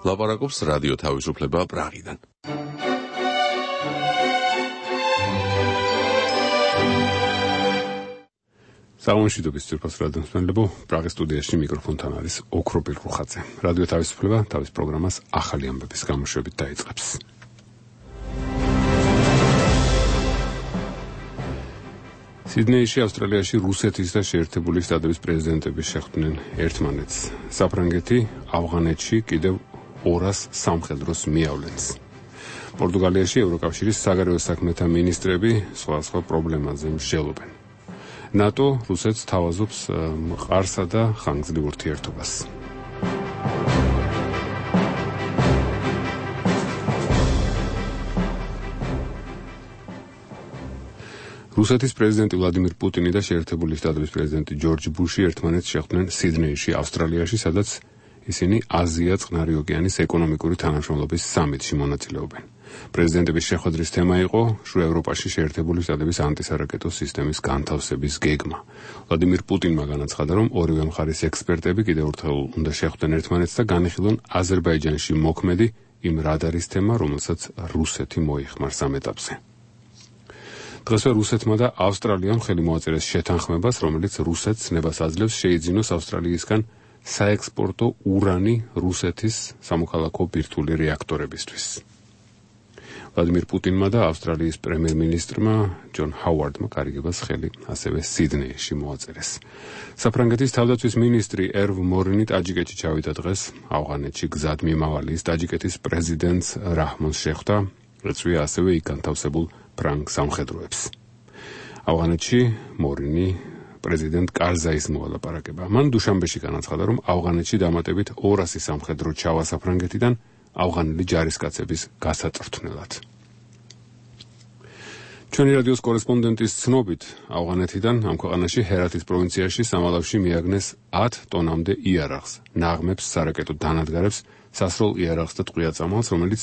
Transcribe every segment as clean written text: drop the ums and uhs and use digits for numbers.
ლაპარაკობს რადიო თავისუფლება პრაღიდან. სამშვიდობის ძირფას რადიოსმენლებო, პრაღის სტუდიაში მიკროფონთან არის ოქროპირ რუხაძე. რადიო თავისუფლება თავის პროგრამას ახალი ამბების გამოშვებით დაიწყებს. სიდნეიში, ავსტრალიაში რუსეთის და შეერთებული შტატების პრეზიდენტები შეხვდნენ ერთმანეთს. საფრანგეთი ავღანეთში კიდევ 200 სამხედროს მიავლენს. პორტუგალიაში ევროკავშირის საგარეო საქმეთა მინისტრები სხვადასხვა პრობლემაზე მსჯელობენ. ნატო რუსეთს თავაზობს მყარსა და ხანგრძლივ ურთიერთობას. რუსეთის პრეზიდენტი ვლადიმირ პუტინი და შეერთებული შტატების პრეზიდენტი ჯორჯ ბუში ერთმანეთს შეხვდნენ სიდნეიში, ავსტრალიაში, სადაც ისინი აზია-წყნარი ოკეანის ეკონომიკური თანამშრომლობის სამიტში მონაწილეობენ. პრეზიდენტების შეხვედრის თემა იყო შუა ევროპაში შეერთებული შტატების ანტისარაკეტო სისტემის განთავსების გეგმა. ვლადიმირ პუტინმა განაცხადა, რომ ორივე მხარის ექსპერტები კიდევ ერთხელ უნდა შეხვდნენ ერთმანეთს და განიხილონ აზერბაიჯანში მოქმედი იმ რადარის თემა, რომელსაც რუსეთი მოიხმარს ამ ეტაპზე. დღესვე რუსეთმა და ავსტრალიამ ხელი მოაწერეს შეთანხმებას, რომელიც რუსეთს ნებას აძლევს შეიძინოს ავსტრალიისგან საექსპორტო ურანი რუსეთის სამოქალაქო ბირთვული რეაქტორებისთვის. ვლადიმირ პუტინმა და ავსტრალიის პრემიერ-მინისტრმა ჯონ ჰაუარდმა კარიგებას ხელი ასევე სიდნეიში მოაწერეს. საფრანგეთის თავდაცვის მინისტრი ერვ მორინი ტაჯიკეთში ჩავიდა დღეს. ავღანეთში გზად მიმავალი ის ტაჯიკეთის პრეზიდენტს რაჰმონს შეხვდა, ეწვია ასევე იქ განთავსებულ ფრანგ სამხედროებს. ავღანეთში მორინი პრეზიდენტ კარზაის მოალაპარაკება. მან დუშანბეში განაცხადა, რომ ავღანეთში დამატებით 200 სამხედრო ჩავა საფრანგეთიდან ავღანელი ჯარისკაცების გასაწვრთნელად. ჩვენი რადიოს კორესპონდენტის ცნობით, ავღანეთიდან ამ ქვეყანაში ჰერათის პროვინციაში სამალავში მიაგნეს 10 ტონამდე იარაღს, ნაღმებს, სარაკეტო დანადგარებს, სასროლ იარაღს და ტყვია-წამალს, რომელიც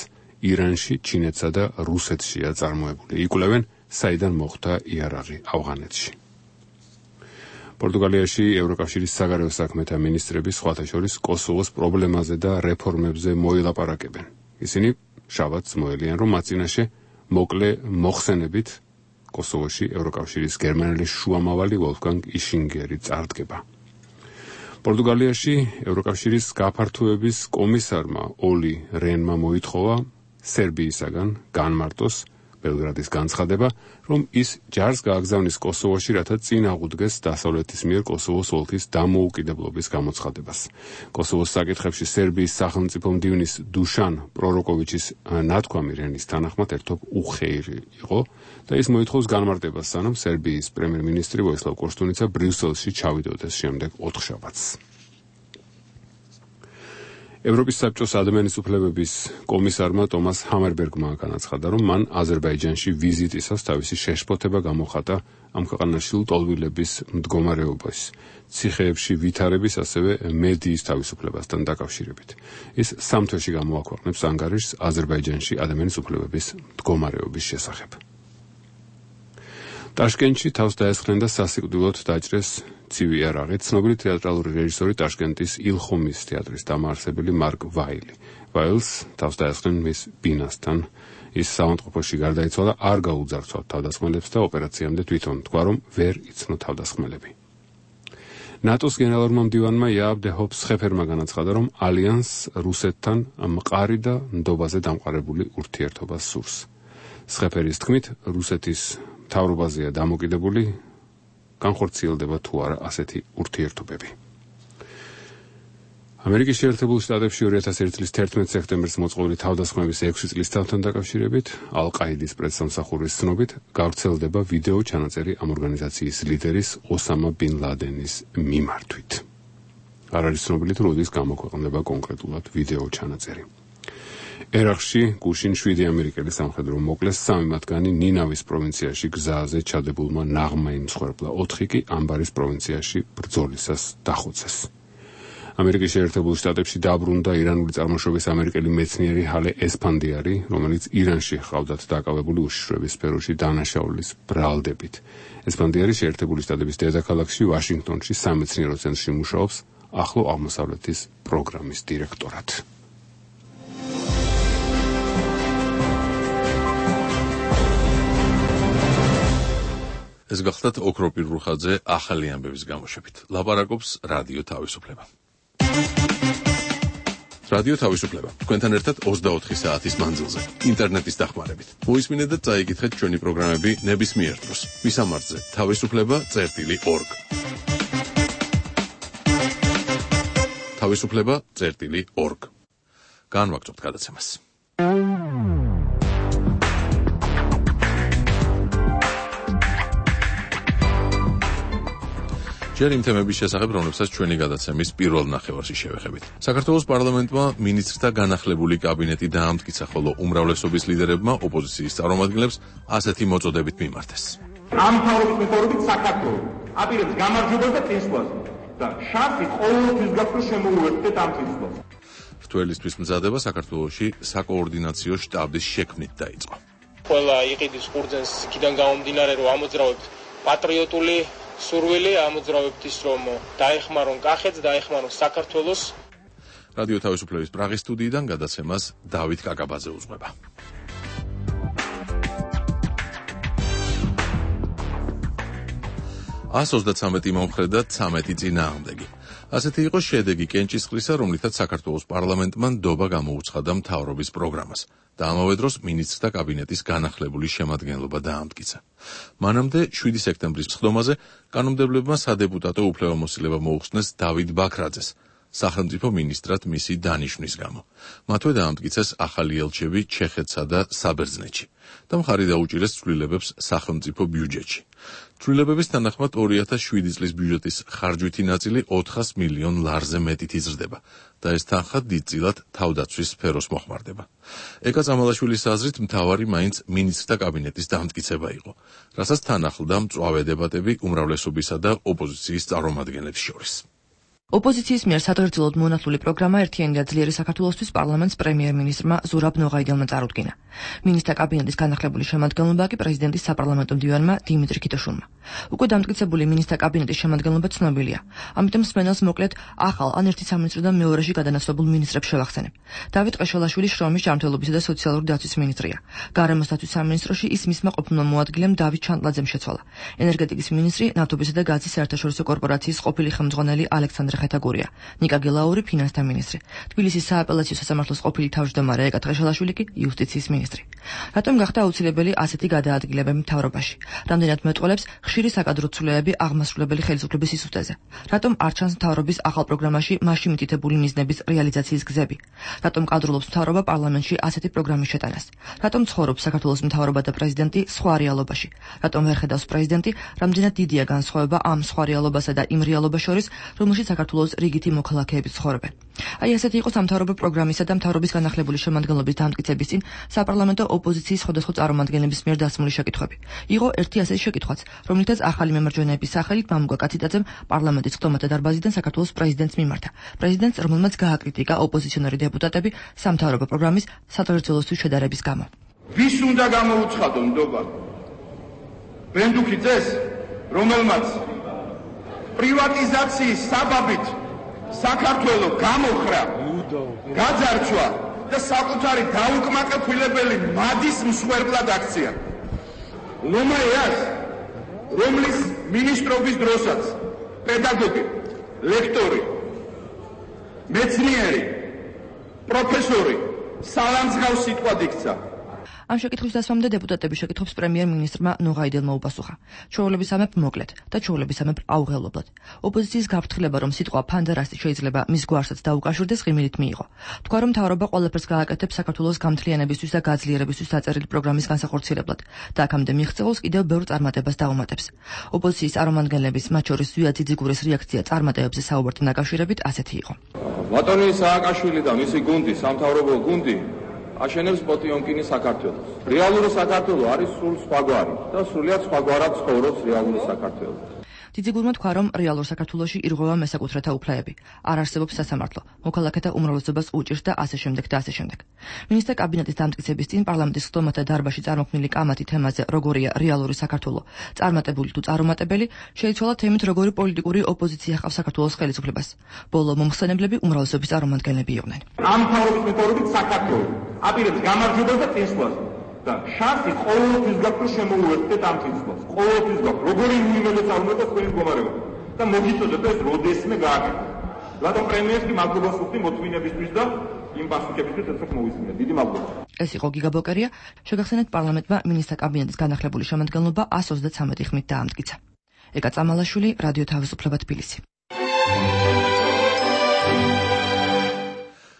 ირანში, ჩინეთსა და რუსეთშია წარმოებული. იკვლევენ, საიდან მოხვდა იარაღი ავღანეთში. პორტუგალიაში ევროკავშირის საგარეო საქმეთა მინისტრები სხვათა შორის კოსოვოს პრობლემაზე და რეფორმებზე მოილაპარაკებენ. ისინი შაბათს მოელიან, რომ მათ წინაშე მოკლე მოხსენებით კოსოვოში ევროკავშირის გერმანელი შუამავალი ვოლფგანგ იშინგერი წარდგება. პორტუგალიაში ევროკავშირის გაფართოების კომისარმა ოლი რენმა მოითხოვა სერბიისაგან განმარტოს ბელგრადის განცხადება, რომ ის ჯარს გააგზავნის კოსოვოში, რათა წინ აღუდგეს დასავლეთის მიერ კოსოვოს ოლქის დამოუკიდებლობის გამოცხადებას. კოსოვოს საკითხებში სერბიის სახელმწიფო მდივნის დუშან პროროკოვიჩის ნათქვამი რენის თანახმად ერთობ უხეირი იყო და ის მოითხოვს განმარტებას, სანამ სერბიის პრემიერ-მინისტრი ვოისლავ კოშტუნიცა ბრიუსელში ჩავიდოდეს შემდეგ 4 შაბათს. ევროპის საბჭოს ადამიანის უფლებების კომისარმა ტომას ჰამერბერგმა განაცხადა, რომ მან აზერბაიჯანში ვიზიტისას თავისი შეშფოთება გამოხატა ამ ქვეყანაში ლტოლვილების მდგომარეობის, ციხეებში ვითარების, ასევე მედიის თავისუფლებასთან დაკავშირებით. ის 3 თვეში გამოაქვეყნებს ანგარიშს აზერბაიჯანში ადამიანის უფლებების მდგომარეობის შესახებ. ტაშკენტში თავს დაესხნენ და სასიკვდილოდ დაჭრეს ცივი იარაღი ცნობილი თეატრალური რეჟისორი ტაშკენტის ილხომის თეატრის დამაარსებელი მარკ ვაილი. ვაილს თავს დაესხნენ მის ბინასთან. ის საავადმყოფოში გარდაიცვალა, არ გაუძარცვა თავდასხმელებს და ოპერაციამდე თვითონ თქვა, რომ ვერ იცნო თავდასხმელები. ნატოს გენერალურმა მდივანმა იააბ დე ჰოპს-ხეფერმა განაცხადა, რომ ალიანსს რუსეთთან მყარი და ნდობაზე დამყარებული ურთიერთობა სურს. სხეფერის თქმით, რუსეთის მთავრობაზეა დამოკიდებული, განხორციელდება თუ არა ასეთი ურთიერთობები. ამერიკის შეერთებულ შტატებში 2001 წლის 11 სექტემბერს მოწყობილი თავდასხმების 6 წლის თავთან დაკავშირებით ალ-ყაიდის პრესსამსახურის ცნობით გავრცელდება ვიდეო ჩანაწერი ამ ორგანიზაციის ლიდერის ოსამა ბინ ლადენის მიმართვით. არ არის ცნობილი თუ როდის გამოქვეყნდება კონკრეტულად ვიდეო ჩანაწერი. ერაყში გუშინ 7 ამერიკელი სამხედრო მოკლეს, 3 მათგანი ნინავის პროვინციაში გზაზე ჩადებულმა ნაღმა იმსხვერპლა, 4 კი ამბარის პროვინციაში ბრძოლისას დახოცეს. ამერიკის შეერთებულ შტატებში დაბრუნდა ირანული წარმოშობის ამერიკელი მეცნიერი ჰალე ესფანდიარი, რომელიც ირანში ჰყავდათ დაკავებული უშიშროების სფეროში დანაშაულის ბრალდებით. ესფანდიარი შეერთებული შტატების დედაქალაქში ვაშინგტონში სამეცნიერო ცენტრში მუშაობს ახლო აღმოსავლეთის პროგრამის დირექტორად. ეს გახლდათ ოქროპირ რუხაძე ახალი ამბების გამოშვებით. ლაპარაკობს რადიო თავისუფლება. რადიო თავისუფლება. თქვენთან ერთად 24 საათის მანძილზე, ინტერნეტის დახმარებით. მოისმინეთ და წაიკითხეთ ჩვენი პროგრამები ნებისმიერ დროს. მისამართზე თავისუფლება.org. თავისუფლება.org. განვაგრძობთ გადაცემას. ჯერ იმ თემების შესახებ, რომლებსაც ჩვენი გადაცემის პირველ ნახევარში შევეხებით. საქართველოს პარლამენტმა მინისტრთა განახლებული კაბინეტი დაამტკიცა, ხოლო უმრავლესობის ლიდერებმა ოპოზიციის წარმომადგენლებს ასეთი მოწოდებით მიმართეს. ამ თავის მეთოდებით საქართველოს აპირებს გამარჯვებას და წინსვლას და შანსი ყოველთვის გაქვს შემოუერთდეთ ამ წინსვლას. რთველისთვის მზადება საქართველოში საკოორდინაციო შტაბის შექმნით დაიწყო. ყველა იყიდის ყურძენს იქიდან გამომდინარე, რომ ამოძრავებთ პატრიოტული სურვილი, ამოძრავებთ ის, რომ დაეხმარონ კახეთს, დაეხმარონ საქართველოს. რადიო თავისუფლების პრაღის სტუდიიდან გადაცემას დავით კაკაბაძე უძღვება. $133 მომხრე და 13 წინააღმდეგი. ასეთი იყო შედეგი კენჭისყრისა, რომლითაც საქართველოს პარლამენტმა ნდობა გამოუცხადა მთავრობის პროგრამას და ამავე დროს მინისტრთა კაბინეტის განახლებული შემადგენლობა დაამტკიცა. მანამდე 7 სექტემბრის სხდომაზე კანონმდებლებმა სადეპუტატო უფლებამოსილება მოუხსნეს დავით ბაქრაძეს სახელმწიფო მინისტრად მისი დანიშვნის გამო. მათვე დაამტკიცეს ახალი ელჩები ჩეხეთსა და საბერძნეთში და მხარი დაუჭირეს ცვლილებებს სახელმწიფო ბიუჯეტში. ცვლილებების თანახმად 2007 წლის ბიუჯეტის ხარჯვითი ნაწილი 400 მილიონ ლარზე მეტით იზრდება და ეს თანხა დიდწილად თავდაცვის სფეროს მოხმარდება. ეკა წამალაშვილის აზრით მთავარი მაინც მინისტრთა კაბინეტის დამტკიცება იყო, რასაც თან ახლდა მწვავე დებატები უმრავლესობისა და ოპოზიციის წარმომადგენლებს შორის. ოპოზიციის მიერ სატვირთულოდ მონათლული პროგრამა ერთიანი და ძლიერი საქართველოსთვის პარლამენტს პრემიერ-მინისტრმა ზურაბ ნოღაიდელმა წარუდგინა. მინისტრთა კაბინეტის განახლებული შემადგენლობა კი პრეზიდენტის საპარლამენტო მდივანმა დიმიტრი ქითოშვილმა. უკვე დამტკიცებული მინისტრთა კაბინეტის შემადგენლობა ცნობილია. ამიტომ მსმენელს მოკლედ ახალ ან ერთი სამინისტროდან მეორეში გადანაცვლებულ მინისტრებს შევახსენებ. დავით ყეშელაშვილი შრომის ჯანმრთელობისა და სოციალური დაცვის მინისტრია. გარემოს დაცვის სამინისტროში ის მისმა ყოფილმა მოადგილემ დავით ჩანტლაძემ შეცვალა. ენერგეტიკის მინისტრი ნავთობისა და გაზის საერთაშორისო კორპორაციის ყოფილი ხელმძღვანელი ალექსანდრე ხეთაგურია. ნიკა გელაური ფინანსთა მინისტრი. თბილისის სააპელაციო სასამართლოს ყოფილი თავმჯდომარე ეკა ყეშელაშვილი კი იუსტიციის მინისტრი. რატომ გახდა აუცილებელი ასეთი გადაადგილებები მთავრობაში? რამდენად მეტყველებს ხშირი საკადრო ცვლილებები აღმასრულებელი ხელისუფლების სისუსტეზე? რატომ არ ჩანს მთავრობის ახალ პროგრამაში მასში მითითებული მიზნების რეალიზაციის გზები? რატომ კადრულობს მთავრობა პარლამენტში ასეთი პროგრამის შეტანას? რატომ ცხოვრობს საქართველოს მთავრობა და პრეზიდენტი სხვა რეალობაში? რატომ ვერ ხედავს პრეზიდენტი, რამდენად დიდია განსხვავება ამ სხვა რეალობასა და იმ რეალობას შორის, რომელშიც საქართველოს რიგითი მოქალაქეები ცხოვრობენ? აი ასეთი იყო სამთავრობო პროგრამისა და მთავრობის განახლებული შემადგენლობის დამტკიცების წინ საპარლამენტო ოპოზიციის სხვადასხვა წარმომადგენლების მიერ დასმული შეკითხვები. იყო ერთი ასეთი შეკითხვაც, რომლითაც ახალი მემარჯვენეების სახელით მამუკა კაციტაძემ პარლამენტის სხდომათა დარბაზიდან საქართველოს პრეზიდენტს მიმართა. პრეზიდენტს, რომელმაც გააკრიტიკა ოპოზიციონერი დეპუტატები სამთავრობო პროგრამის სატვირთულოსთვის შედარების გამო. ვის უნდა გამოუცხადო ნდობა? ბენდუქიძეს, რომელმაც პრივატიზაციის საბაბით საქართველოს გამოხრა, გაძარცვა და საკუთარი დაუკმაყოფილებელი მადის მსხვერპლად აქცია. ლომაიას, რომლის მინისტრობის დროსაც პედაგოგი, ლექტორი, მეცნიერი, პროფესორი სალანძღავს სიტყვად იქცა. ამ შეკითხვის დასვამდე დეპუტატების შეკითხვებს პრემიერ-მინისტრმა ნოღაიდელმა უპასუხა. ჩვეულებისამებრ მოკლედ და ჩვეულებისამებრ აუღელებლად. ოპოზიციის გაფრთხილება, რომ სიტყვა ფანდარასტი შეიძლება მის გვარსაც დაუკავშირდეს, ღიმილით მიიღო. თქვა, რომ მთავრობა ყველაფერს გააკეთებს საქართველოს გამთლიანებისთვის და გაძლიერებისთვის დაწერილი პროგრამის განსახორციელებლად და აქამდე მიღწეულს კიდევ ბევრ წარმატებას დაუმატებს. ოპოზიციის წარმომადგენლების, მათ შორის ზვია ძიძიგურის რეაქცია წარმატებებზე საუბართან დაკავშირებით ასეთი იყო. ბატონი სააკაშვილი და მისი გუნდი, სამთავრობო გუნდი აშენებს პოტიონკინის საქართველოს. რეალური საქართველო არის სულ სხვაგვარი და სრულიად სხვაგვარად ცხოვრობს რეალური საქართველო. ძიძიგურმა თქვა, რომ რეალურ საქართველოში ირღვევა მესაკუთრეთა უფლებები. არ არსებობს სასამართლო, მოქალაქეთა უმრავლესობას უჭირს და ასე შემდეგ და ასე შემდეგ. მინისტრთა კაბინეტის დამტკიცების წინ პარლამენტის სხდომათა დარბაზში წარმოქმნილი კამათი თემაზე, როგორია რეალური საქართველო, წარმატებული თუ წარუმატებელი, შეიცვალა თემით, როგორი პოლიტიკური ოპოზიცია ჰყავს საქართველოს ხელისუფლებას. ბოლო მომხსენებლები უმრავლესობის წარმომადგენლები იყვნენ. ამ თავრობის მეთოდებით საქართველო აპირებს გამარჯვებას და წინსვლას და შანსი ყოველთვის გაქვს, რომ შემოუერთდეთ ამ წინსვლას. ყოველთვის გაქვს. როგორი უნიმედოც არ უნდა თქვენი მდგომარეობა. და მოგიწოდეთ ეს როდესმე გააკეთოთ. რატომ პრემიერს კი მადლობას ვუხდი მოთმინებისთვის და იმ პასუხებისთვის, რასაც მოვისმინეთ. დიდი მადლობა. ეს იყო გიგა ბოკერია. შეგახსენეთ, პარლამენტმა მინისტრთა კაბინეტის განახლებული შემადგენლობა 133 ხმით დაამტკიცა. ეკა წამალაშვილი, რადიო თავისუფლება თბილისი.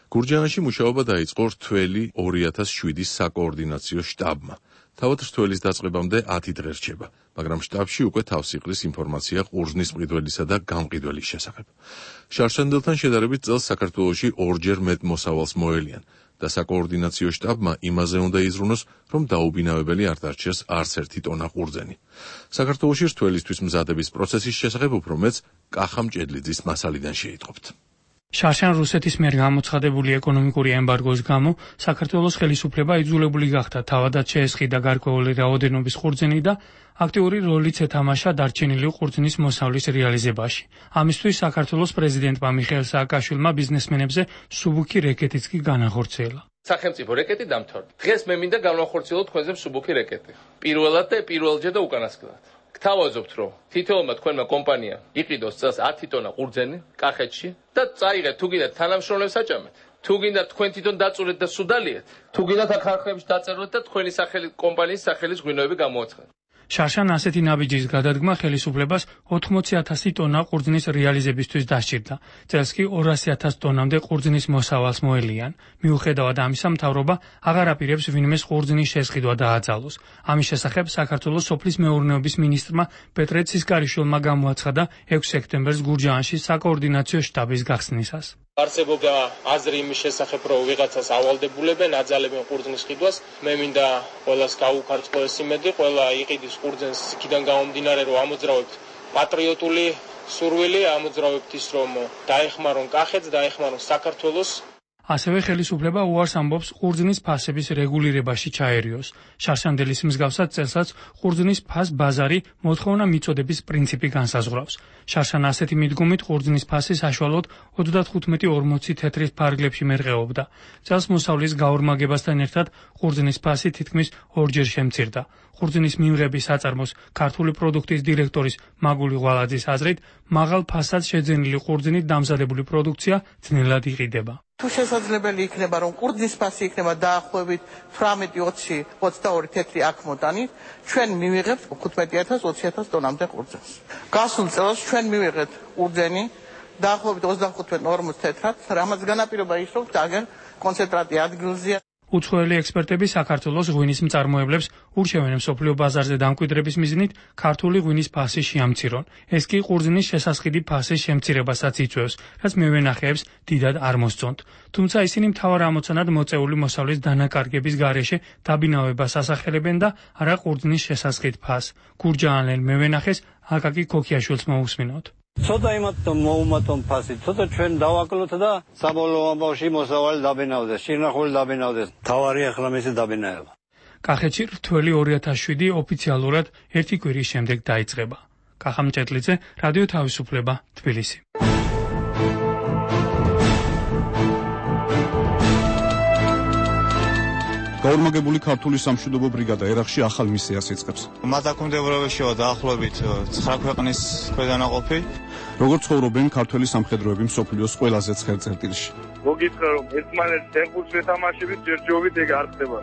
გურჯაანში მუშაობა დაიწყო რთველი 2007-ის საკოორდინაციო შტაბმა. თავად რთველის დაწყებამდე 10 დღე რჩება, მაგრამ შტაბში უკვე თავს იყრის ინფორმაცია ყურძნის მყიდველისა და გამყიდველის შესახებ. შარშანდელთან შედარებით წელს საქართველოში ორჯერ მეტ მოსავალს მოელიან და საკოორდინაციო შტაბმა იმაზე უნდა იზრუნოს, რომ დაუბინავებელი არ დარჩეს არც ერთი ტონა ყურძენი. საქართველოში რთველისთვის მზადების პროცესის შესახებ უფრო მეც კახა მჭედლიძის მასალიდან შეიტყობთ. შარშან რუსეთის მიერ გამოცხადებული ეკონომიკური ემბარგოს გამო საქართველოს ხელისუფლება იძულებული გახდა თავადაც შეესყიდა გარკვეული რაოდენობის ყურძენი და აქტიური როლიც ეთამაშა დარჩენილი ყურძნის მოსავლის რეალიზებაში. ამისთვის საქართველოს პრეზიდენტმა მიხეილ სააკაშვილმა ბიზნესმენებზე სუბუქი რეკეტიც კი განახორციელა. სახელმწიფო რეკეტი დამთავრდა. დღეს მე მინდა განვახორციელოთ თქვენზე სუბუქი რეკეტი. პირველად და პირველჯერ და უკანასკნელად. გთავაზობთ, რომ თითოეულმა თქვენმა კომპანიამ იყიდოს წელს 10 ტონა ყურძენი კახეთში და წაიღეთ, თუ გინდათ თანამშრომლებს აჭამეთ, თუ გინდათ თქვენ თვითონ დაწურეთ და სუდალიეთ, თუ გინდათ აქ ხარხლებში დაწეროთ და თქვენი სახელი კომპანიის სახელის ღვინოები გამოაცხადოთ. შარშან ასეთი ნაბიჯის გადადგმა ხელისუფლებას 80,000 ტონა ყურძნის რეალიზებისთვის დასჭირდა. წელს კი 200,000 ტონამდე ყურძნის მოსავალს მოელიან. მიუხედავად ამისა, მთავრობა აღარ აპირებს ვინმეს ყურძნის შესყიდვა დააძალოს. ამის შესახებ საქართველოს სოფლის მეურნეობის მინისტრმა პეტრე ცისკარიშვილმა გამოაცხადა 6 სექტემბერს გურჯაანში საკოორდინაციო შტაბის გახსნისას. არსებობდა აზრი იმის შესახებ, რომ ვიღაცას ავალდებულებენ, აძალებენ ყურძნის ყიდვას. მე მინდა ყველას გაუქარწყო ეს იმედი, ყველა იყიდის ყურძენს იქიდან გამომდინარე, რომ ამოძრავებთ პატრიოტული სურვილი, ამოძრავებთ ის, რომ დაეხმარონ კახეთს, დაეხმარონ საქართველოს. ასევე ხელისუფლება უარს ამბობს ყურძნის ფასების რეგულირებაში ჩაერიოს. შარშანდელის მსგავსად წელსაც ყურძნის ფას ბაზარი მოთხოვნა მიწოდების პრინციპი განსაზღვრავს. შარშან ასეთი მიდგომით ყურძნის ფასი საშუალოდ 35-40 თეთრის ფარგლებში მერყეობდა. წელს მოსავლის გაორმაგებასთან ერთად ყურძნის ფასი თითქმის ორჯერ შემცირდა. ყურძნის მიღების საწარმოს ქართული პროდუქტის დირექტორის მაგული ღვალაძის აზრით, მაღალ ფასად შეძენილი ყურძნით დამზადებული პროდუქცია ძნელად იყიდება. თუ შესაძლებელი იქნება, რომ ყურძნის ფასი იქნება დაახლოებით 18-20-22 თეთრი აქ მოტანით, ჩვენ მივიღებთ 15,000-20,000 ტონამდე ყურძენს. გასულ წელს ჩვენ მივიღეთ ყურძენი დაახლოებით 25-40 თეთრად, რამაც განაპირობა ის, რომ აგერ კონცენტრატი ადგილზეა. უცხოელი ექსპერტები საქართველოს ღვინის მწარმოებლებს ურჩევენ მსოფლიო ბაზარზე დამკვიდრების მიზნით ქართული ღვინის ფასი შეამცირონ. ეს კი ყურძნის შესასყიდი ფასის შემცირებასაც იწვევს, რაც მევენახეებს დიდად არ მოსწონთ. თუმცა ისინი მთავარ ამოცანად მოწეული მოსავლის დანაკარგების გარეშე დაბინავებას ასახელებენ და არა ყურძნის შესასყიდ ფასს. გურჯაანელ მევენახეს აკაკი ქოქიაშვილს მოусმინოთ. ცოტა იმათ მოუმატონ ფასი, ცოტა ჩვენ დავაკლოთ და საბოლოო ამბავში მოსავალი დაბინავდეს, შინახული დაბინავდეს. თავარი ახლა მისი დაბინავება. კახეთში რთველი 2007 ოფიციალურად 1 კვირის შემდეგ დაიწყება. კახა მჭედლიძე, რადიო თავისუფლება, თბილისი. გაორმაგებული ქართული სამშვიდობო ბრიგადა ერახში ახალ მისიას იწყებს. მათ აკომდებურებაშია დაახლოებით 9 ქვეყნის ქვედანაყოფი. როგორც ცხოვრობენ ქართველი სამხედროები მსოფლიოს ყველაზე ცხელ წერტილში. მოგითხრა რომ ერთმანეთს ეხურს ვეთამაშებით ჯერჯობით ეგ არ ხდება.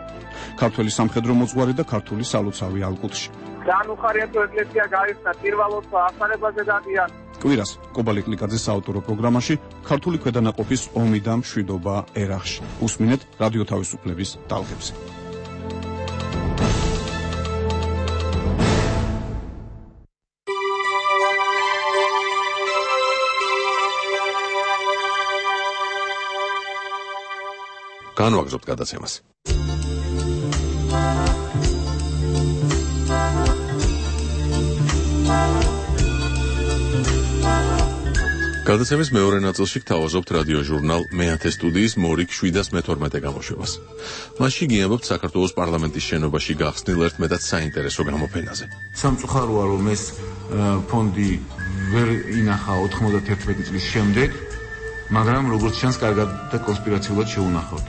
ქართველი სამხედრო მოძღვარი და ქართული სალოცავი ალკუტში. განუხარია თუ ეკლესია გაიხსნა პირველობა ახალებაზე დადიან. კვირას კობალე კლიკაძის საავტორო პროგრამაში ქართული ქვედანაყოფის ომი და მშვიდობა ერახში. უსმინეთ რადიო თავისუფლების ტალღებზე. განვაგრძობთ გადაცემას. გადაცემის მეორე ნაწილში გთავაზობთ რადიო ჟურნალ მეათე სტუდიის მორიგ 712 გამოშვებას. მასში გიამბობთ საქართველოს პარლამენტის შენობაში გახსნილ ერთ მეტად საინტერესო გამოფენაზე. სამწუხაროა, რომ ეს ფონდი ვერ ინახა 91 წლის შემდეგ, მაგრამ როგორც ჩანს, კარგად და კონსპირაციულად შეუნახავთ.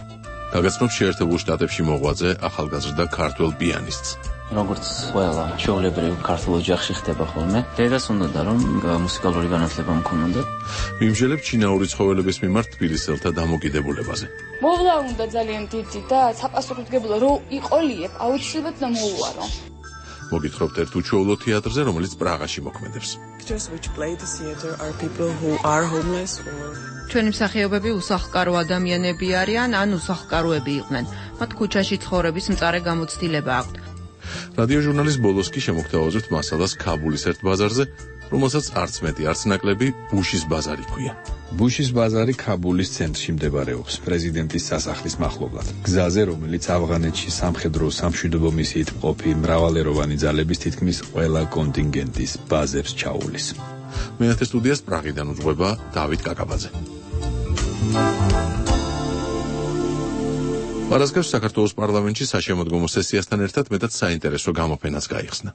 გაგაცნობს შეერთებულ შტატებში მოღვაწე ახალგაზრდა ქართველ პიანისტს. როგორც ყველა ჩვეულებრივ ქართულ ოჯახში ხდება ხოლმე, დედას უნდოდა რომ მუსიკალური განათლება მქონოდა. მიმჟელებ ჩინაური ცხოველების მიმართ თბილისელთა დამოკიდებულებაზე. მოვლა უნდა ძალიან დიდი და საპასუხისმგებლო რო იყოლიებ, აუცილებლად და მოუარო. მოგითხრობთ ერთ უჩვეულო თეატრზე, რომელიც პრაღაში მოქმედებს. ჩვენი მსახიობები უსახლკარო ადამიანები არიან, ან უსახლკაროები იყვნენ. მათ ქუჩაში ცხოვრების მწარე გამოცდილება აქვთ. რადიო ჟურნალის ბოლოს კი შემოგთავაზებთ მასალას ქაბულის ერთ ბაზარზე, რომელსაც არც მეტი არც ნაკლები ბუშის ბაზარი ქვია. ბუშის ბაზარი ქაბულის ცენტრში მდებარეობს, პრეზიდენტის სასახლის მახლობლად. გზაზე, რომელიც ავღანეთში სამხედრო სამშვიდობო მისიით მყოფი მრავალეროვანი ძალების თითქმის ყველა კონტინგენტის ბაზებს ჩაულის. მეათე სტუდიას პრაღიდან უძღვება დავით კაკაბაძე. პარასკევს საქართველოს პარლამენტში საშემოდგომო სესიასთან ერთად მეტად საინტერესო გამოფენაც გაიხსნა.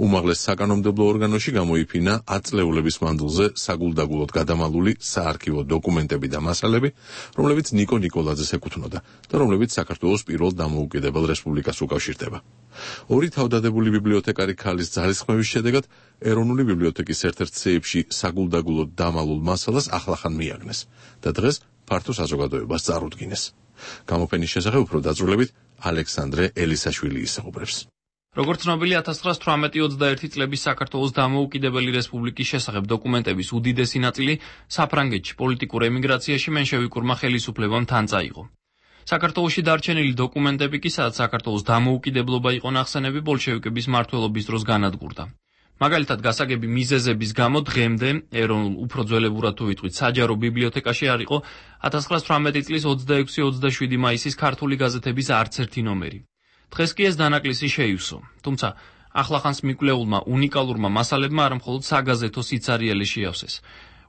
უმაღლეს საკანონმდებლო ორგანოში გამოიფინა 10 წლეულების მანძილზე საგულდაგულოდ გადამალული საარქივო დოკუმენტები და მასალები, რომლებიც ნიკო ნიკოლაძეს ეკუთვნოდა და რომლებიც საქართველოს პირველ დამოუკიდებელ რესპუბლიკას უკავშირდება. ორი თავდადებული ბიბლიოთეკარი ქალის ძალისხმევის შედეგად ეროვნული ბიბლიოთეკის ერთ-ერთ სეიფში საგულდაგულოდ დამალულ მასალას ახლახან მიაგნეს და დღეს ფართო საზოგადოებას წარუდგინეს. გამოფენის შესახებ უფრო დაწვრილებით ალექსანდრე ელისაშვილი ისაუბრებს. როგორც ცნობილი 1918-21 წლების საქართველოს დამოუკიდებელი რესპუბლიკის შესახებ დოკუმენტების უდიდესი ნაწილი საფრანგეთში პოლიტიკურ ემიგრაციაში მენშევიკურმა ხელისუფლებამ თან წაიღო. საქართველოში დარჩენილი დოკუმენტები კი, სადაც საქართველოს დამოუკიდებლობა იყო ნახსენები, ბოლშევიკების მმართველობის დროს განადგურდა. მაგალითად, გასაგები მიზეზების გამო დღემდე ეროვნულ უფრო ძველებურად თუ ვიტყვით საჯარო ბიბლიოთეკაში არ იყო 1918 წლის 26-27 მაისის ქართული გაზეთების არც ერთი ნომერი. დღეს კი ეს დანაკლისი შეივსო. თუმცა ახლახანს მიკვლეულმა უნიკალურმა მასალებმა არა მხოლოდ საგაზეთო სიცარიელი შეავსეს.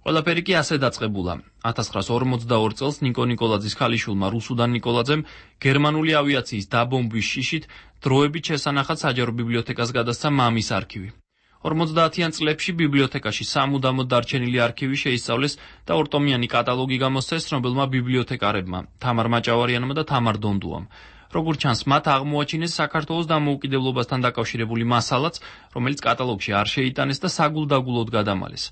ყველაფერი კი ასე დაწყებულა. 1942 წელს ნიკო ნიკოლაძის ქალიშვილმა რუსუდან ნიკოლაძემ გერმანული ავიაციის დაბომბვის შიშით დროებით შესანახად საჯარო ბიბლიოთეკას გადასცა მამის არქივი. 50-იან წლებში ბიბლიოთეკაში სამუდამოდ დარჩენილი არქივი შეისწავლეს და ორტომიანი კატალოგი გამოსცეს ცნობილმა ბიბლიოთეკარებმა, თამარ მაჭავარიანმა და თამარ დონდუამ. როგორც ჩანს, მათ აღმოაჩინეს საქართველოს დამოუკიდებლობასთან დაკავშირებული მასალაც, რომელიც კატალოგში არ შეიტანეს და საგულდაგულოდ გადამალეს.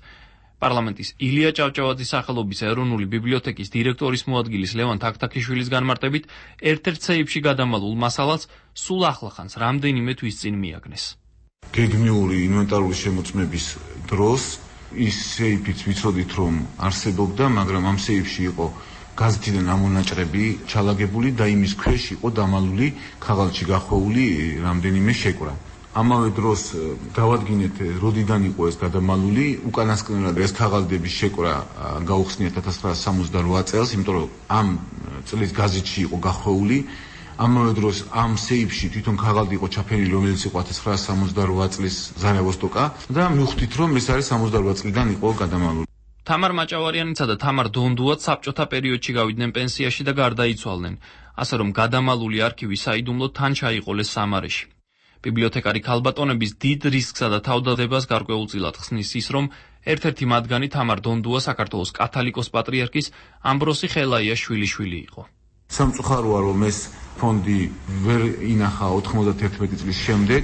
პარლამენტის ილია ჭავჭავაძის სახელობის ეროვნული ბიბლიოთეკის დირექტორის მოადგილის ლევან თაქთაქიშვილის განმარტებით, ერთ-ერთ სეიფში გადამალულ მასალას სულ ახლახანს რამდენიმე თვის წინ მიაგნეს. გეგმიური ინვენტარული შემოწმების დროს ის სეიფიც ვიცოდით რომ არსებობდა, მაგრამ ამ სეიფში იყო გაზეთიდან ამონაჭრები ჩალაგებული და იმის ქვეშ იყო დამალული ქაღალდში გახვეული რამდენიმე შეკვრა. ამავე დროს დავადგინეთ როდიდან იყო ეს გადამალული, უკანასკნელად ეს ქაღალდების შეკვრა გაუხსნიათ 1968 წელს, იმიტომ რომ ამ წლის გაზეთში იყო გახვეული. ამავე დროს ამ სეიფში თვითონ ქაღალდი იყო ჩაფენილი, რომელიც იყო 1968 წლის ზარევოსტოკა და მივხვდით რომ ეს არის 68 წლიდან იყო გადამალული. თამარ მაჭავარიანიცა და თამარ დონდუაც საბჭოთა პერიოდში გავიდნენ პენსიაში და გარდაიცვალნენ, ასე რომ გადამალული არქივი საიდუმლოდ თან ჩაიყოლეს სამარეში. ბიბლიოთეკარი ქალბატონების დიდ რისკსა და თავდადებას გარკვეულწილად ხსნის ის, რომ ერთ-ერთი მათგანი თამარ დონდუა საქართველოს კათალიკოს პატრიარქის ამბროსი ხელაიას შვილიშვილი იყო. სამწუხაროა რომ ეს ფონდი ვერ ინახა 91 წლის შემდეგ,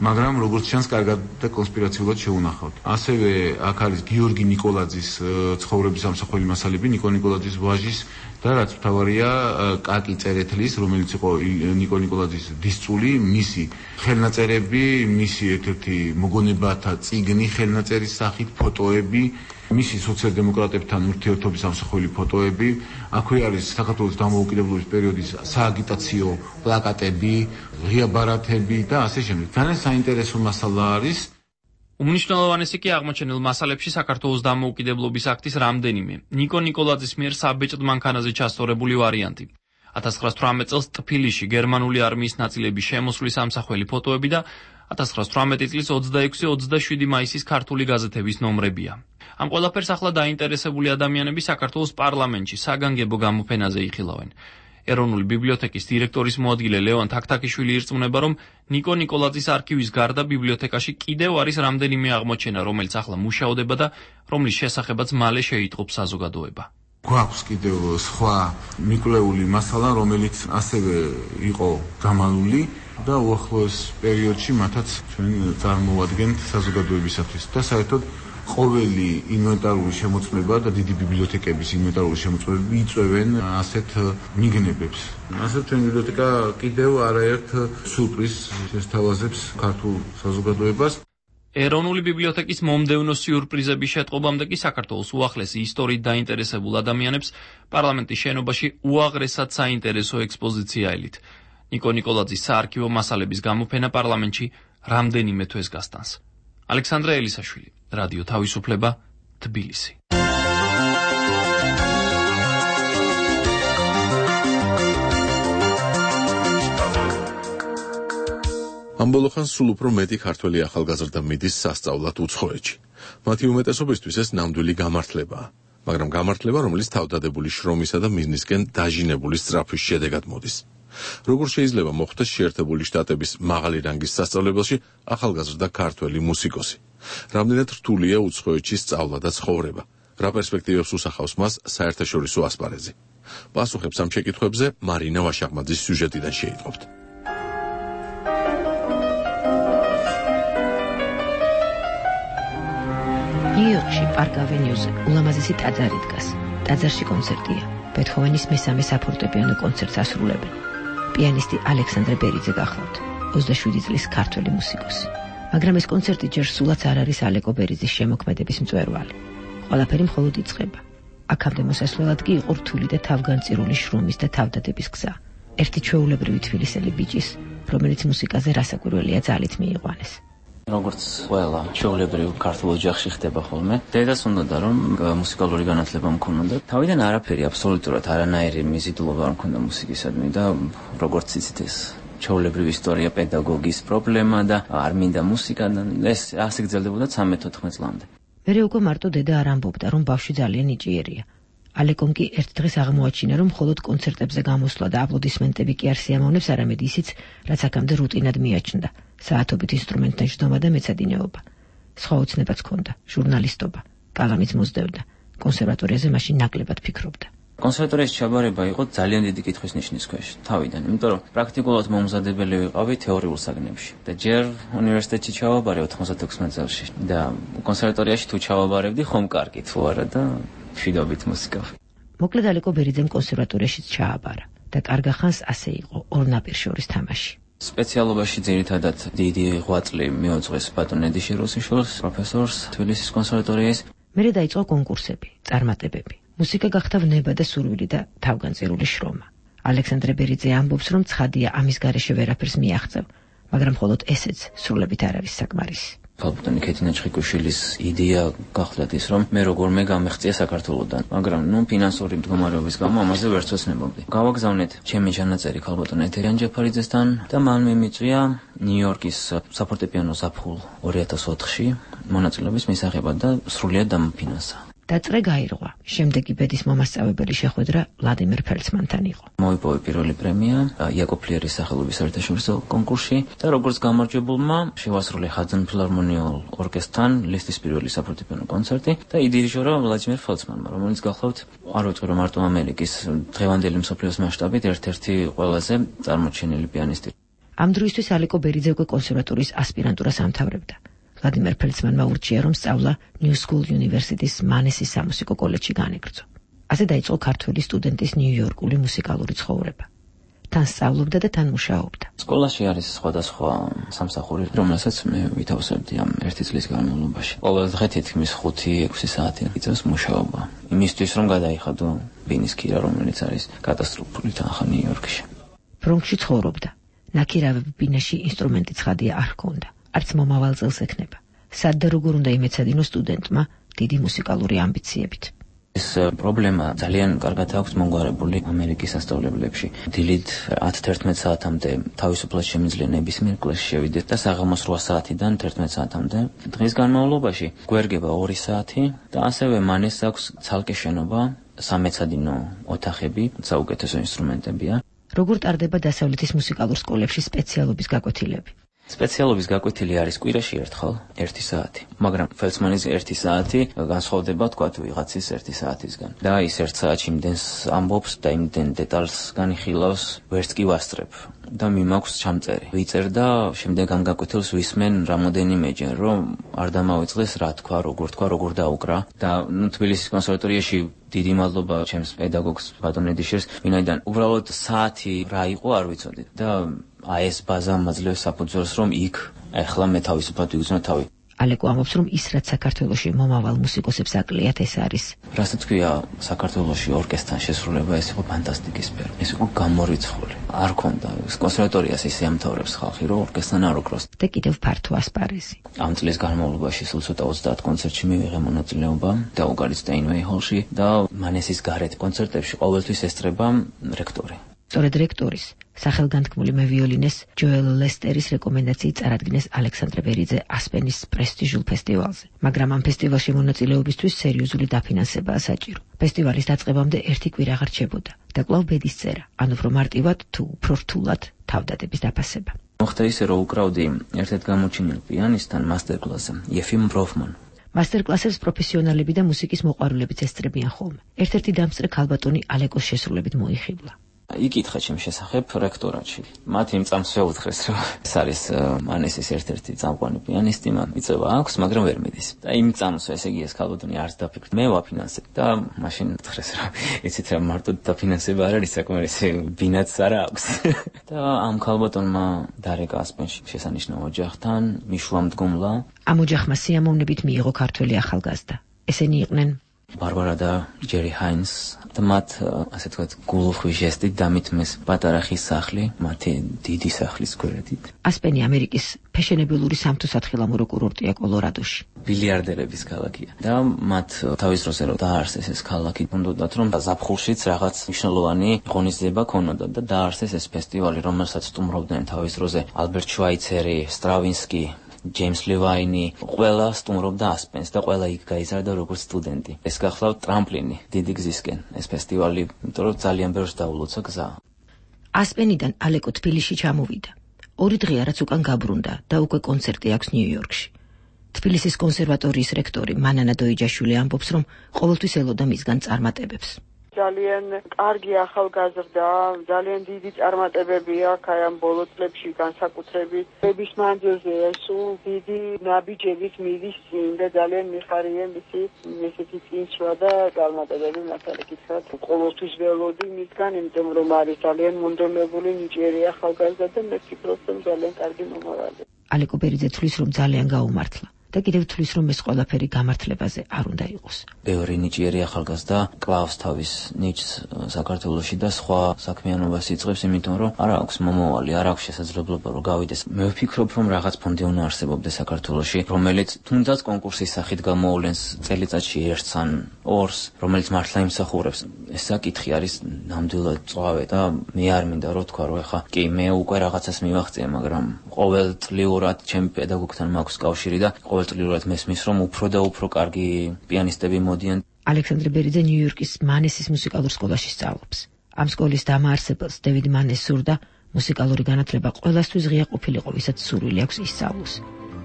მაგრამ როგორც ჩანს კარგად და კონსპირაციულად შეუნახავთ. ასევე აქ არის გიორგი ნიკოლაძის ცხოვრების ამსახველი მასალები, ნიკო ნიკოლაძის ვაჟის და რაც მთავარია კაკი წერეთლის, რომელიც იყო ნიკო ნიკოლაძის დისწული, მისი ხელნაწერები, მისი ერთ-ერთი მოგონებათა წიგნი ხელნაწერის სახით, ფოტოები, მისი სოციალ-დემოკრატებთან ურთიერთობის ამსახველი ფოტოები. აქვე არის საქართველოს დამოუკიდებლობის პერიოდის სააგიტაციო პლაკატები, ღია ბარათები და ასე შემდეგ. ძალიან საინტერესო მასალა არის. უმნიშვნელოვანესი კი აღმოჩენილ მასალებში საქართველოს დამოუკიდებლობის აქტის რამდენიმე, ნიკო ნიკოლაძის მიერ საბეჭდ მანქანაზე ჩასწორებული ვარიანტი. 1918 წელს ტფილისში გერმანული არმიის ნაწილების შემოსვლის ამსახველი ფოტოები და 1918 წლის 26-27 მაისის ქართული გაზეთების ნომრებია. ამ ყველაფერს ახლა დაინტერესებული ადამიანები საქართველოს პარლამენტში საგანგებო გამოფენაზე იხილავენ. ეროვნული ბიბლიოთეკის დირექტორის მოადგილე ლევან თაქთაქიშვილი ირწმუნება, რომ ნიკო ნიკოლაძის არქივის გარდა ბიბლიოთეკაში კიდევ არის რამდენიმე აღმოჩენა, რომელიც ახლა მუშადება და რომლის შესახებაც მალე შეიტყობს საზოგადოება. გვაქვს კიდევ სხვა მიკვლეული მასალა, რომელიც ასევე იყო გამალული და უახლოეს პერიოდში მათაც ჩვენ წარმოვადგენთ საზოგადოებისათვის და საერთოდ ყოველი ინვენტარული შემოწმება და დიდი ბიბლიოთეკების ინვენტარული შემოწმებები იწვევენ ასეთ მიგნებებს. ასე ჩვენ ბიბლიოთეკა კიდევ არაერთ სურპრიზს შესთავაზებს ქართულ საზოგადოებას. ეროვნული ბიბლიოთეკის მომდევნო სიურპრიზების შეტყობამდე კი საქართველოს უახლესი ისტორიით დაინტერესებულ ადამიანებს პარლამენტის შენობაში უაღრესად საინტერესო ექსპოზიცია ელით. ნიკო ნიკოლაძის საარქივო მასალების გამოფენა პარლამენტში რამდენიმე თვეს გასტანს. ალექსანდრე ელისაშვილი, რადიო თავისუფლება, თბილისი. ამ ბოლოხან სულ უფრო მეტი ქართველი ახალგაზრდა მიდის სასწავლად უცხოეთში. მათი უმეტესობისთვის ეს ნამდვილი გამართლებაა, მაგრამ გამართლება, რომელიც თავდადებული შრომისა და მიზნისკენ დაჟინებული სწრაფვის შედეგად მოდის. როგორ შეიძლება მოხდეს შეერთებული შტატების მაღალი რანგის სასწავლებელში ახალგაზრდა ქართველი მუსიკოსი? რამდენად რთულია უცხოეთში სწავლა და ცხოვრება? რა პერსპექტივებს უსახავს მას საერთაშორისო ასპარეზი? პასუხებს ამ შეკითხვებზე მარინა ვაშაღმაძის სიუჟეტიდან შეიტყობთ. ნიუ-იორკში პარკ ავენიუზე ულამაზესი ტაძარი დგას. ტაძარში კონცერტია. ბეთჰოვენის მესამე საფორტეპიანო კონცერტს ასრულებენ. პიანისტი ალექსანდრე ბერიძე გახლავთ, 27 წლის ქართველი მუსიკოსი. მაგრამ ეს კონცერტი ჯერ სულაც არ არის ალეკო ბერიძის შემოქმედების მწვერვალი. ყველაფერი მხოლოდ იწყება. აქამდე მოსასვლელად კი იყო რთული და თავგანწირული შრომის და თავდადების გზა. ერთი ჩვეულებრივი თბილისელი ბიჭის, რომელიც მუსიკაზე რასაკვირველია ძალით მიიყვანეს. როგორც ყველა ჩვეულებრივ ქართულ ოჯახში ხდება ხოლმე, დედას უნდოდა რომ მუსიკალური განათლება მქონოდა. თავიდან არაფერი აბსოლუტურად არანაირი მიზიდულობა არ მქონდა მუსიკისადმი და როგორც იცით ეს ჩვეულებრივ ისტორია პედაგოგის პრობლემა და არ მინდა მუსიკა და ეს ასე გრძელდებოდა 13-14 წლამდე. მერე უკვე მარტო დედა არ ამბობდა რომ ბავშვი ძალიან ნიჭიერია. ალეკომ კი ერთ დღეს აღმოაჩინა რომ მხოლოდ კონცერტებზე გამოსვლა და აპლოდისმენტები კი არ სიამოვნებს, არამედ ისიც, რაც აქამდე რუტინად მიაჩნდა. საათობით ინსტრუმენტთან ჯდომა და მეცადინეობა. სხვა ოცნებაც ჰქონდა, ჟურნალისტობა, კალამიც მოსდევდა. კონსერვატორიაზე მაშინ ნაკლებად ფიქრობდა. კონსერვატორიის ჩაბარება იყო ძალიან დიდი კითხვის ნიშნის ქვეშ თავიდან, იმიტომ რომ პრაქტიკულად მომზადებელი ვიყავი თეორიულ საგნებში და ჯერ უნივერსიტეტში ჩავაბარე 96 წელს და კონსერვატორიაში თუ ჩავაბარებდი ხომ კარგი თუ არა და მშვიდობით მუსიკა. მოკლედ ალეკო ბერიძემ კონსერვატორიაშიც ჩააბარა და კარგა ხანს ასე იყო ორ ნაპირ შორის თამაში. სპეციალობაში ძირითადად დიდი ღვაწლი მიუძღვის ბატონ ედიში რუსიშვილს, პროფესორს თბილისის კონსერვატორიის. მერე დაიწყო კონკურსები, წარმატებები. მუსიკა გახდა ვნება და სურვილი და თავგანწირული შრომა. ალექსანდრე ბერიძე ამბობს, რომ ცხადია ამის გარეშე ვერაფერს მიაღწევ, მაგრამ მხოლოდ ესეც სრულებით არ არის საკმარისი. ბატონი ქეთინა ჩხიკუშვილის იდეა გახლდათ ის, რომ მე როგორმე გამეღწია საქართველოსთან, მაგრამ ფინანსური მდგომარეობის გამო ამაზე ვერც ვეცნობოდი. გავაგზავნეთ ჩემი ჩანაწერი ქალბატონ ეთერიან ჯეფარიძესთან და მან მიმიწვია ნიუ-იორკის საფორტეპიანო ზაფხულ 2004-ში მონაწილეობის მისაღებად და სრულიად დამფინანსა. დაწყე გაირღვა. შემდეგი ბედის მომასწავლებელი შეხვედრა ვლადიმერ ფელცმანთან იყო. მოიპოვა პირველი პრემია იაკობ ფლიერის სახელობის საერთაშორისო კონკურსში და როგორც გამარჯვებულმა შევასრულე ხაძან ფილარმონიულ ორკესტრთან ლისტის პირველი საფორტეპიანო კონცერტი და იდირიჟორა ვლადიმერ ფელცმანმა, რომელიც გახლავთ არ ვიტყვი რომ მარტო ამერიკის დღევანდელი მსოფლიოს მასშტაბით ერთ-ერთი ყველაზე წარმოჩენილი პიანისტი. ამ დროისთვის ალეკო ბერიძე უკვე კონსერვატორიის ასპირანტურას ამთავრებდა. ვლადიმერ ფელცმანმა ურჩია, რომ სწავლა New School University-ის მანესის სამუსიკო კოლეჯში განეგრძო. ასე დაიწყო ქართველი სტუდენტის ნიუ-იორკული მუსიკალური ცხოვრება. თან სწავლობდა და თან მუშაობდა. სკოლაში არის სხვადასხვა სამსახური, რომელსაც მე ვითავსებდი ამ ერთი წლის განმავლობაში. ყოველ დღე თითქმის 5-6 საათი იწევს მუშაობა. იმისთვის რომ გადაიხადო ბინის ქირა, რომელიც არის კატასტროფული თანხა ნიუ-იორკში. ბრონქსში ცხოვრობდა. ნაქირავები ბინაში ინსტრუმენტი ცხადია არ ჰქონდა. არც მომავალ წელს ექნება. სად და როგორ უნდა იმეცადინო სტუდენტმა დიდი მუსიკალური ამბიციებით. ეს პრობლემა ძალიან კარგად აქვს მომგვარებული ამერიკის სასწავლებლებში. დილით 10-11 საათამდე თავისუფლად შემიძლია ნებისმიერ კლასში შევიდეთ და საღამოს 8 საათიდან 11 საათამდე. დღის განმავლობაში გვერგება 2 საათი და ასევე მანეს აქვს ცალკე შენობა, სამეცადინო ოთახები, საუკეთესო ინსტრუმენტებია. როგორ ტარდება დასავლეთის მუსიკალურ სკოლებში სპეციალობის გაკვეთილები? სპეციალობის გაკვეთილი არის კვირაში ერთხელ 1 საათი, მაგრამ ფელდსმანის 1 საათი განსხვავდება თქვათ ვიღაცის 1 საათისგან. და ის 1 საათში იმდენს ამბობს და იმდენ დეტალს განიხილავს, ვერც კი ვასწრებ. და მიმაქვს ჩამწერი. ვიწერ და შემდეგ ამ გაკვეთილს ვისმენ რამოდენიმეჯერ, რომ არ დამავიწყდეს რა თქვა, როგორ დაუკრა. და თბილისის კონსერვატორიაში დიდი მადლობა ჩემს პედაგოგს ბატონ ედიშერს, ვინაიდან უბრალოდ საათი რა იყო არ ვიცოდი და ეს ბაზა მაძლევს საფუძველს, რომ იქ ახლა მე თავისუფლად ვიგრძნო თავი. ალეკო ამბობს, რომ ის რაც საქართველოში მომავალ მუსიკოსებს აკლიათ, ეს არის. რასაც თქვია, საქართველოში ორკესტრთან შესრულება, ეს იყო ფანტასტიკისფერი. ეს იყო გამორიცხული. არ ქონდა კონსერვატორიას ისე ამთავრებს ხალხი, რომ ორკესტრთან არ უკროს. და კიდევ ფართო ასპარეზი. ამ წლის განმავლობაში სულ ცოტა 30 კონცერტში მივიღე მონაწილეობა და უგარი სტეინვეი ჰოლში და მანესის გარეთ კონცერტებში ყოველთვის ესწრება რექტორი. სწორედ რექტორის სახელგანთქმული მევიოლინეს ჯოელ ლესტერის რეკომენდაციით წარადგინეს ალექსანდრე ბერიძე ასპენის პრესტიჟულ ფესტივალზე, მაგრამ ამ ფესტივალში მონაწილეობისთვის სერიოზული დაფინანსებაა საჭირო. ფესტივალის დაწყებამდე 1 კვირა აღარ რჩებოდა და კვლავ ბედის წერა, ან უფრო მარტივად თუ უფრო რთულად თავდადების დაფასება. მოხდა ისე, რომ უკრავდი ერთ-ერთ გამოჩენილ პიანისტთან მასტერკლასზე, იეფიმ ბროფმან. მასტერკლასებს პროფესიონალები და მუსიკის მოყვარულებიც ესწრებიან ხოლმე. ერთ-ერთი დამსწრე ქალბატონი ალეკოს შესრულებით მოიხიბლა. იკითხა ჩემ შესახებ რექტორატში. მათ იმ წამს შეუთხრეს, რომ ეს არის მანესის ერთ-ერთი წამყვანი პიანისტი, მან იწევა აქვს, მაგრამ ვერ მიდის. და იმ წამს, ესე იგი ეს ქალბატონი არც დაფიქრდა, მე ვაფინანსებ და მაშინ უთხრეს, რომ იცით რა მარტო დაფინანსება არ არის საკმარისი, ბინაც არა აქვს. და ამ ქალბატონმა დარეკა ასპენში შესანიშნავ ოჯახთან, მიშვა მდგომლა. ამ ოჯახმა სიამოვნებით მიიღო ქართველი ახალგაზრდა. ესენი იყვნენ ბარბარა და ჯერი ჰაინს და მათ ასე ვთქვათ გულუხვის ჟესტით დამითმეს პატარა ხის სახლი მათი დიდი სახლის გვერდით. ასპენი ამერიკის ფეშენებელური სამთო-სათხილამურო კურორტია კოლორადოში. ბილიარდერების ქალაქია და მათ თავის დროზე რომ დაარსეს ეს ქალაქი, უნდათ რომ ზაფხულშიც რაღაც მნიშვნელოვანი ღონისძიება ქონოდა და დაარსეს ეს ფესტივალი, რომელსაც სტუმრობდნენ თავის დროზე ალბერტ შვაიცერი, სტრავინსკი, ჯეიმს ლევაინი, ყველა სტუმრობდა ასპენს და ყველა იქ გაიზარდა როგორც სტუდენტი. ეს გახლავთ ტრამპლინი დიდი გზისკენ ეს ფესტივალი, იმიტომ რომ ძალიან ბევრს დაულოცა გზა. ასპენიდან ალეკო თბილისში ჩამოვიდა. 2 დღეა რაც უკან გაბრუნდა და უკვე კონცერტი აქვს ნიუ-იორკში. თბილისის კონსერვატორიის რექტორი მანანა დოიჯაშვილი ამბობს, რომ ყოველთვის ელოდა მისგან წარმატებებს. ძალიან კარგი ახალგაზრდა, ძალიან დიდი წარმატებები აქვს აი ამ ბოლო წლებში განსაკუთრებით. ბების მანძილზე სულ დიდი ნაბიჯებით მიდის და ძალიან მიხარია მისი ესეთი წინსვლა და წარმატებები მასალა კითხავთ. ყოველთვის ველოდი მისგან, იმიტომ რომ არის ძალიან მონდომებული ნიჭიერი ახალგაზრდა და მე ვფიქრობ, რომ ძალიან კარგი მომავალი. ალეკო ბერიძე თვლის, რომ ძალიან გაუმართლა. და კიდევ თვლის, რომ ეს ყველაფერი გამართლებაზე არ უნდა იყოს. ბევრი ნიჭიერი ახალგაზრდა კლავს თავის ნიჭს საქართველოში და სხვა საქმიანობას იწყებს, იმიტომ რომ არ აქვს მომავალი, არ აქვს შესაძლებლობა რომ გავიდეს. მე ვფიქრობ, რომ რაღაც ფონდი უნდა არსებობდეს საქართველოში, რომელიც თუნდაც კონკურსის სახით გამოავლენს წელიწადში 1-ს ან 2-ს, რომელიც მართლა იმსახურებს. ეს საკითხი არის ნამდვილად წვავე და მე არ მინდა რომ თქვა, რომ ეხა კი მე უკვე რაღაცას მივაღწია, მაგრამ ყოველწლიურად ჩემი პედაგოგთან მაქვს კავშირი და ყოველწლიურად მესმის, რომ უფრო და უფრო კარგი პიანისტები მოდიან. ალექსანდრე ბერიძე ნიუ-იორკის მანესის მუსიკალურ სკოლაში სწავლობს. ამ სკოლის დამაარსებელს დევიდ მანეს სურდა მუსიკალური განათლება ყველასთვის ღია ყოფილიყო, ვისაც სურვილი აქვს ისწავლოს.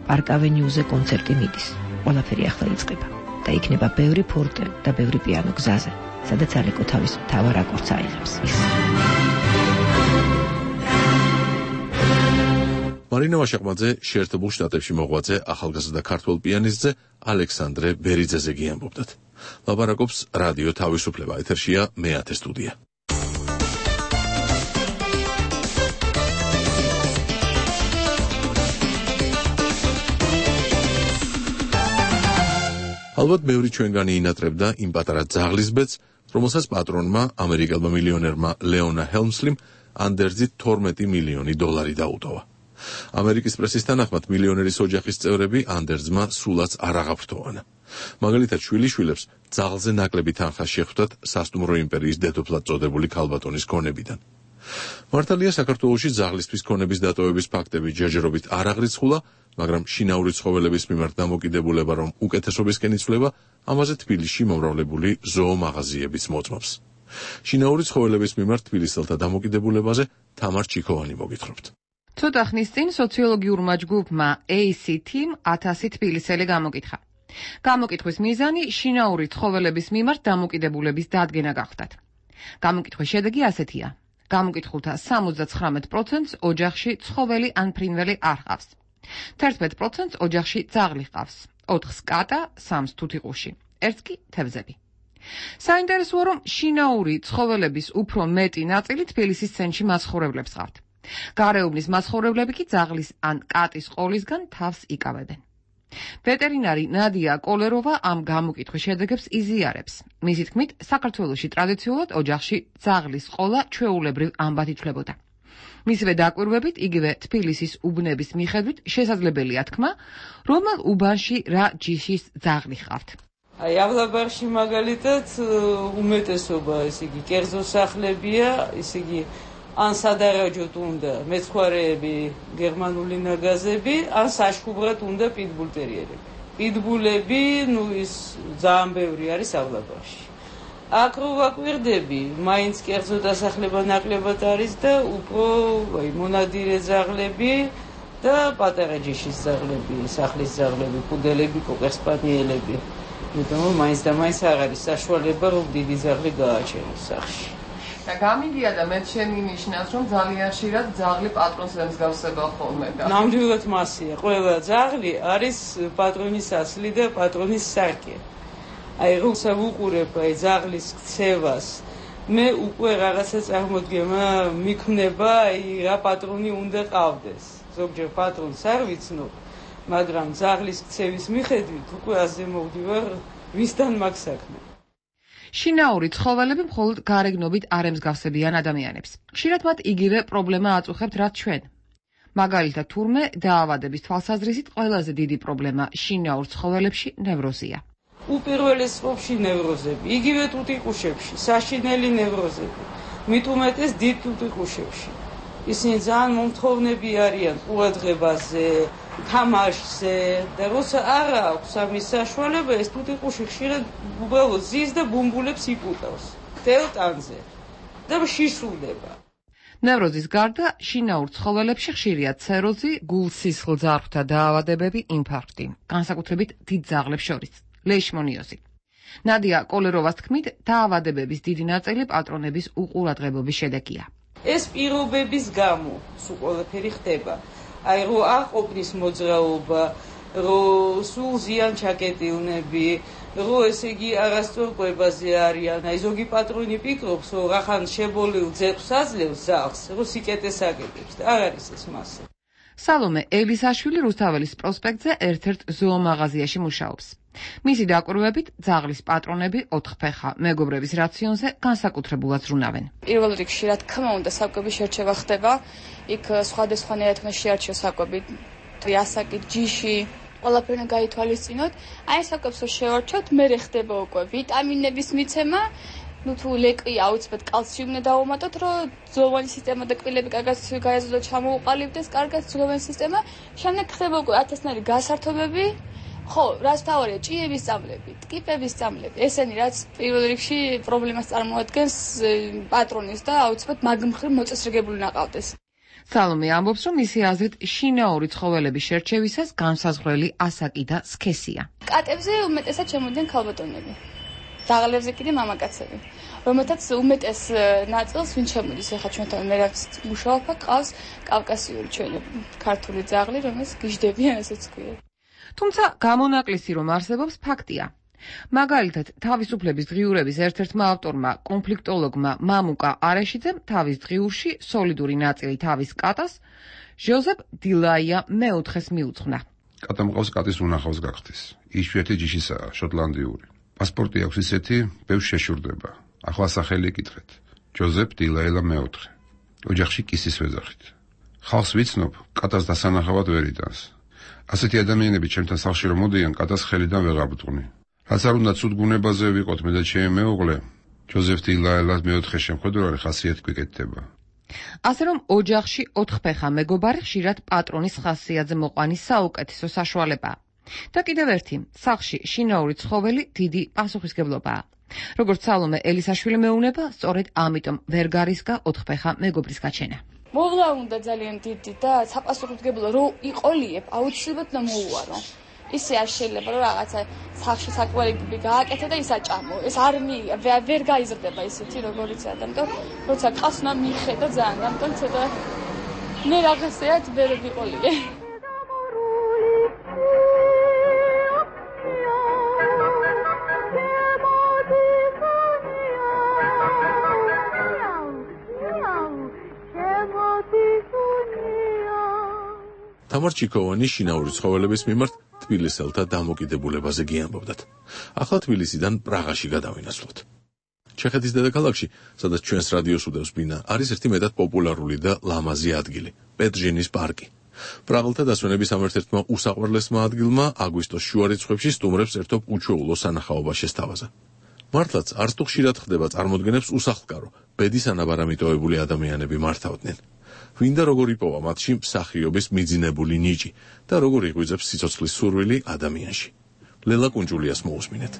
პარკ ავენიუზე კონცერტი მიდის. ყველაფერი ახლა იწყება და იქნება ბევრი ფორტე და ბევრი პიანო გზაზე, სადაც ალეკო თავის მთავარ აკორდს აიღებს. მარინა ვაშაყმაძე შეერთებულ შტატებში მოღვაწე ახალგაზრდა ქართველ პიანისტზე ალექსანდრე ბერიძეზე გიამბობდათ. ლაპარაკობს რადიო თავისუფლება, ეთერშია მე-10 სტუდია. ალბათ ბევრი ჩვენგანი ინატრებდა იმ პატარა ძაღლის ბედს, რომელსაც პატრონმა, ამერიკელმა მილიონერმა ლეონა ჰელმსლიმ ანდერძით $12 მილიონი დაუტოვა. ამერიკის პრესის თანახმად მილიონერის ოჯახის წევრები ანდერძმა სულაც არ აღაფრთოვანა. მაგალითად შვილიშვილებს ძაღლზე ნაკლები თანხა შეხვდათ სასტუმრო იმპერიის დედოფლად წოდებული ქალბატონის ქონებიდან. მართალია საქართველოში ძაღლისთვის ქონების დატოვების ფაქტები ჯერჯერობით არ აღრიცხულა, მაგრამ შინაური ცხოველების მიმართ დამოკიდებულება რომ უკეთესობისკენ იცვლება, ამაზე თბილისში მომრავლებული ზოომაღაზიებიც მოწმობს. შინაური ცხოველების მიმართ თბილისელთა დამოკიდებულებაზე თამარ ჩიქოვანი მოგითხრობთ. ცოტა ხნის წინ სოციოლოგიურმა ჯგუფმა ACT-მ 1000 თბილისელი გამოკითხა. გამოკითხვის მიზანი შინაური ცხოველების მიმართ დამოკიდებულების დადგენა გახდათ. გამოკითხვის შედეგი ასეთია. გამოკითხულთა 79%-ს ოჯახში ცხოველი ან ფრინველი არ ჰყავს. 11%-ს ოჯახში ძაღლი ჰყავს, 4-ს კატა, 3-ს თუთიყუში, 1-ს კი თევზები. საინტერესოა, რომ შინაური ცხოველების უფრო მეტი ნაწილი თბილისის ცენტრში მაცხოვრებლებს ჰყავთ. გარეუბნის მაცხოვრებლები კი ძაღლის ან კატის ყოლისგან თავს იკავებენ. ვეტერინარი ნადია კოლეროვა ამ გამოკითხვის შედეგებს იზიარებს. მისი თქმით, საქართველოში ტრადიციულად ოჯახში ძაღლის ყოლა ჩვეულებრივ ამბად ითვლებოდა. მისივე დაკვირვებით, იგივე თბილისის უბნების მიხედვით შესაძლებელია თქმა, რომელ უბანში რა ჯიშის ძაღლი ჰყავთ. აი, ავლაბარში მაგალითად უმეტესობა, ესე იგი, კერძო სახლებია, ესე იგი, ან სადარაჯოდ უნდა მეცხვარეები, გერმანული ნაგაზები, ან საშხუბრად უნდა პიტბულტერიერები. პიტბულები, ის ძალიან ბევრი არის ავლაბარში. აქ რო ვაკვირდები, მაინც კერძო დასახლება ნაკლებად არის და უფრო მონადირე ძაღლები და პატარა ჯიშის ძაღლები, სახლის ძაღლები, პუდელები, კოკერსპანიელები. იმიტომ რომ მაინც და მაინც არ არის საშუალება, რომ დიდი ძაღლი გააჩენოს სახლში. და გამიგია და მე შემინიშნავს, რომ ძალიან ხშირად ძაღლი პატრონს ემსგავსება ხოლმე და ნამდვილად მასია. ყველა ძაღლი არის პატრონის ასლი და პატრონის სარკე. აი, როცა ვუყურებ ძაღლის ქცევას, მე უკვე რაღაცა წარმოდგენა მიქმნება, რა პატრონი უნდა ყავდეს. ზოგჯერ პატრონს არ ვიცნობ, მაგრამ ძაღლის ქცევის მიხედვით უკვე აზე მოვდივარ, ვისთან მაქვს საქმე. შინაური ცხოველები მხოლოდ გარეგნობით არ ემსგავსებიან ადამიანებს. ხშირად მათ იგივე პრობლემა აწუხებთ, რაც ჩვენ. მაგალითად, თურმე დაავადების თვალსაზრისით ყველაზე დიდი პრობლემა შინაურ ცხოველებში ნევროზია. უპირველეს რიგში ნევროზები, იგივე თუთიყუშებში, საშინელი ნევროზები, მით უმეტეს დიდ თუთიყუშებში. ისინი ძალიან მომთხოვნები არიან ყურადღებაზე, თამაშზე და როცა არ აქვს ამის საშუალება, ეს თუთიყუში ხშირად უბრალოდ ზის და ბუმბულებს იკუტავს დელტანზე და შიშულდება. ნევროზის გარდა შინაურ ცხოველებში ხშირია ცეროზი, გულ-სისხლძარღვთა დაავადებები, ინფარქტი, განსაკუთრებით დიდ ძაღლებს შორის, ლეიშმონიოზი. ნადია კოლეროვას თქმით, დაავადებების დიდი ნაწილი პატრონების უყურადღებობის შედეგია. ეს პირობების გამო სულ ყველაფერი ხდება. აი, რო არ ყოფნის მოძრაობა, რო სულ ზიან ჩაკეტილნები, რო ესე იგი არასწორ კვებაზე არიან. აი, ზოგი პატრონი ფიქრობს, რომ რახან შებოლილ ძეყს აძლევს ზაღს, რო სიკეთეს აკეთებს და არ არის ეს მასე. სალომე ელისაშვილი რუსთაველის პროსპექტზე ერთ-ერთ ზოომაღაზიაში მუშაობს. მისი დაკვირვებით, ძაღლის პატრონები 4 ფეხა მეგობრების რაციონზე განსაკუთრებულად ზრუნავენ. პირველ რიგში, რა თქმა უნდა, საკვების შერჩევა ხდება. იქ სხვადასხვანაირად უნდა შეარჩიოს საკვები, ასაკი, ჯიში, ყველაფერი უნდა გაითვალისწინოთ. აი, საკვებს რო შევარჩევთ, მერე ხდება უკვე ვიტამინების მიცემა. თუ ლეკვია აუცილებლად კალციუმი უნდა დავუმატოთ, რომ ძვლოვანი სისტემა და კბილები კარგად გაეზოდოთ, ჩამოუყალიბდეს კარგად ძვლოვანი სისტემა. შემდეგ ხდება უკვე ათასნაირი გასართობები. ხო, რაც თავარია, ჭიების წამლები, ტკიპების წამლები, ესენი რაც პირველ რიგში პრობლემას წარმოადგენს პატრონის და აუცილებლად მაგ მხრივ მოწესრიგებული უნდა ყავდეს. სალომე ამბობს, რომ მისი აზრით შინაური ცხოველების შერჩევისას განსაზღვრელი ასაკი და სქესია. კატებზე უმეტესად შემოდიან ქალბატონები. ძაღლებზე კიდე მამაკაცები, რომელთაც უმეტეს ნაწილს ვინ შემოდის, ახლა ჩვენთან მე რაც მუშაობ, ყავს კავკასიური ჩვენი ქართული ძაღლი, რომელსაც გიჟდებიან, ასეც ქვია. თუმცა გამონაკლისი რომ არსებობს ფაქტია. მაგალითად, თავისუფლების დღიურების ერთ-ერთმა ავტორმა, კონფლიქტოლოგმა მამუკა არეშიძემ თავის დღიურში სოლიდური ნაწილი თავის კატას ჟოზეფ დილაია მეოთხეს მიუძღვნა. კატა მყავს კატის უნახავს გახდეს. იშვიათი ჯიშისაა, შოტლანდიური. პასპორტი აქვს ისეთი, ბევრს შეშურდება. ახლა სახელი იკითხეთ. ჯოზეფ დილაელა მეოთხე. ოჯახში კისის ვეძახით. ხალხს ვიცნობ, კატას დასანახავად ვერ იტანს. ასეთი ადამიანები ჩემთან სახლში რომ მოდიან, კატას ხელიდან ვეღარ ვტყვნი. რაც არ უნდა ცუდ გუნებაზე ვიყოთ მე და ჩემი მეუღლე, ჯოზეფ დილაელას მეოთხე შემხედვარი ხასიათი გვიკეთდება. ასე რომ ოჯახში 4 ფეხა მეგობარი ხშირად პატრონის ხასიათზე მოყვანის საუკეთესო საშუალებაა. და კიდევ ერთი, სახლში შინაური ცხოველი დიდი პასუხისგებლობაა. როგორც სალომე ელისაშვილი მეუბნება, სწორედ ამიტომ ვერ გარისგა 4 ფეხა მეგობრის გაჩენა. მოვლა უნდა ძალიან დიდი და საპასუხისმგებლო რო იყოლიებ, აუცილებლად უნდა მოუარო. ისე არ შეიძლება რომ რაღაცა სახში საკვირები გააკეთე და ის აჭამო. ეს არ ვერ გაიზრდება ისეთი როგორიც ადამიანი. როცა ყავს უნდა მიხედა ძალიან, ამიტომ ცოტა მე რაღაცეად ვერ ვიყოლიე. თამარ ჩიქოვანი შინაური ცხოველების მიმართ თბილისელთა დამოკიდებულებაზე გიამბობდათ. ახლა თბილისიდან პრაღაში გადავინაცვლოთ. ჩეხეთის დედაქალაქში, სადაც ჩვენს რადიოს უდევს ბინა, არის ერთი მეტად პოპულარული და ლამაზი ადგილი, პეტრჟინის პარკი. პრაღელთა დასვენების ამ ერთ-ერთმა უსაყვარლესმა ადგილმა აგვისტოს შუა რიცხვებში სტუმრებს ერთობ უჩვეულო სანახაობა შესთავაზა. მართლაც არც თუ ხშირად ხდება წარმოდგენებს უსახლკარო, ბედის ანაბარა მიტოვებული ადამიანები მართავდნენ. ვინ და როგორ იპოვა მათში მსახიობის მიძინებული ნიჭი და როგორ იღვიძებს სიცოცხლის სურვილი ადამიანში. ლელა კუნჯულიას მოусმინეთ.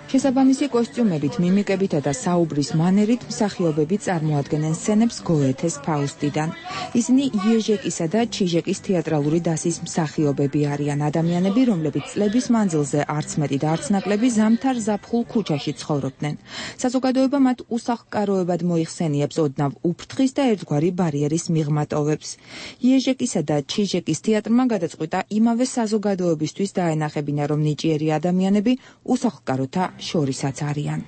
შესაბამისი კოსტიუმებით, მიმიკებითა და საუბრის მანერით მსახიობები წარმოადგენენ სცენებს გოეთეს ფაუსტიდან. ისინი იეჟეკისა და ჩიჟეკის თეატრალური დასის მსახიობები არიან ადამიანები, რომლებიც წლების მანძილზე არც მეტი და არც ნაკლები ზამთარ ზაფხულ ქუჩაში ცხოვრობდნენ. საზოგადოება მათ უსახლკაროებად მოიხსენიებს ოდნავ უფრთხის და ერთგვარი ბარიერის მიღმატოვებს. იეჟეკისა და ჩიჟეკის თეატრმა გადაწყვიტა იმავე საზოგადოებისთვის დაენახებინა, რომ ნიჭიერი ადამიანები უსახლკაროთა შორისაც არიან.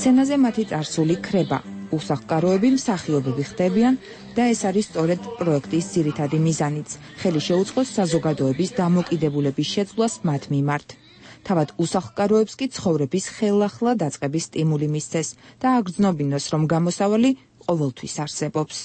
სცენაზე მათი წარსული ქრება, უსახლკაროები მსახიობები ხდებიან და ეს არის სწორედ პროექტის ძირითადი მიზანიც, ხელი შეუწყოს საზოგადოების დამოკიდებულების შეცვლას მათ მიმართ. თავად უსახლკაროებს კი ცხოვრების ხელახლა დაწყების სტიმული მისცეს და აგრძნობინოს, რომ გამოსავალი ყოველთვის არსებობს.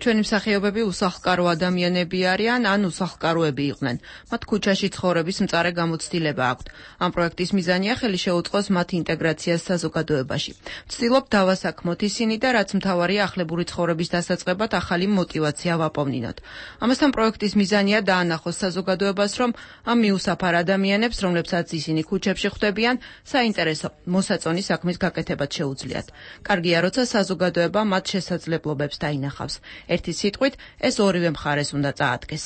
ჩვენი მსახიობები უსახლკარო ადამიანები არიან, ან უსახლკაროები იყვნენ. მათ ქუჩაში ცხოვრების მწარე გამოცდილება აქვთ. ამ პროექტის მიზანია ხელი შეუწყოს მათ ინტეგრაციას საზოგადოებაში. ვცდილობ დავასაქმოთ ისინი და რაც მთავარია ახლებური ცხოვრების დასაწყებად ახალი мотиваცია ვაპოვნინოთ. ამასთან პროექტის მიზანია დაანახოს საზოგადოებას, რომ ამ მიუსაფარ ადამიანებს, რომლებსაც ისინი ქუჩებში ხვდებიან, საინტერესო მოსაწონი საქმის გაკეთებაც შეუძლიათ. კარგია, როცა საზოგადოება მათ შესაძლებლობებს დაინახავს. ერთი სიტყვით, ეს ორივე მხარეს უნდა წაადგეს.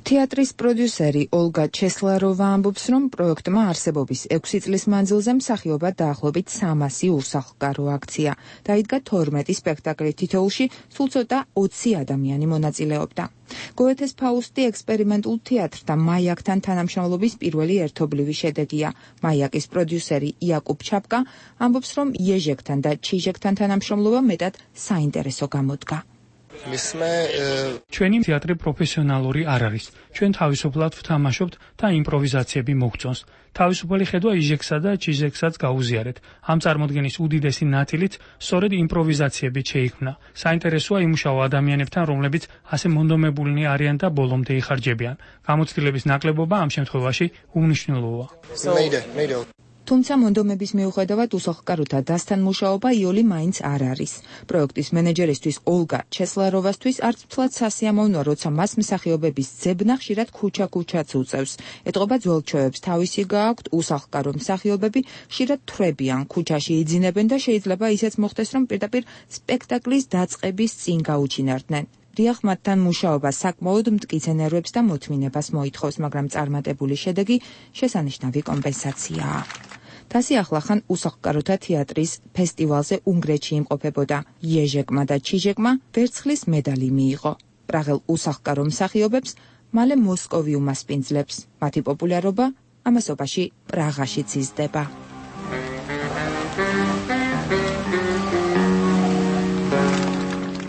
თეატრის პროდიუსერი ოლგა ჩესლაროვა ამბობს, რომ პროექტმა არსებობის 6 წლის მანძილზე მსახიობად დაახლოებით 300 უსახლკარო აქცია. დაიდგა 12 სპექტაკლი, თითოეულში სულ ცოტა 20 ადამიანი მონაწილეობდა. გოეთეს ფაუსტი ექსპერიმენტულ თეატრთა მაიაკთან თანამშრომლობის პირველი ერთობლივი შედეგია. მაიაკის პროდიუსერი იაკუბ ჩაპკა ამბობს, რომ იეჟეკთან და ჩიჟეკთან თანამშრომლობა მეტად საინტერესო გამოდგა. ჩვენი თეატრი პროფესიონალური არ არის. ჩვენ თავისუფლად ვთამაშობთ და იმპროვიზაციები მოგწონს. თავისუფალი ხედვა იჟექსა და ჩიჟეკსაც გაუზიარეთ. ამ წარმოდგენის უდიდესი ნაწილიც სწორედ იმპროვიზაციებით შეიქმნა. საინტერესოა იმუშავა ადამიანებთან, რომლებიც ასე მონდომებულნი არიან და ბოლომდე იხარჯებიან. გამოცდილების ნაკლებობა ამ შემთხვევაში უმნიშვნელოა. თუმცა მონდომების მიუხედავად უსახლკაროთა დასთან მუშაობა იოლი მაინც არ არის. პროექტის მენეჯერისთვის ოლგა ჩესლაროვასთვის არც მთლად სასიამოვნოა, როცა მას მსახიობების ძებნა ხშირად ქუჩა-ქუჩაც უწევს. ეტყობა ძველჩვევებს თავისი გააქვთ, უსახლკარო მსახიობები ხშირად თვრებიან, ქუჩაში იძინებენ და შეიძლება ისეც მოხდეს, რომ პირდაპირ სპექტაკლის დაწყების წინ გაუჩინარდნენ. დიახ, მათთან მუშაობა საკმაოდ მტკიცე ნერვებს და მოთმინებას მოითხოვს, მაგრამ წარმატებული შედეგი შესანიშნავი კომპენსაციაა. თასი ახლახან უსახლკაროთა თეატრის ფესტივალზე უნგრეთში იმყოფებოდა. იეჟეკმა და ჩიჟეკმა ვერცხლის მედალი მიიღო. პრაღელ უსახლკარო მსახიობებს მალე მოსკოვი უმასპინძლებს. მათი პოპულარობა ამასობაში პრაღაშიც იზრდება.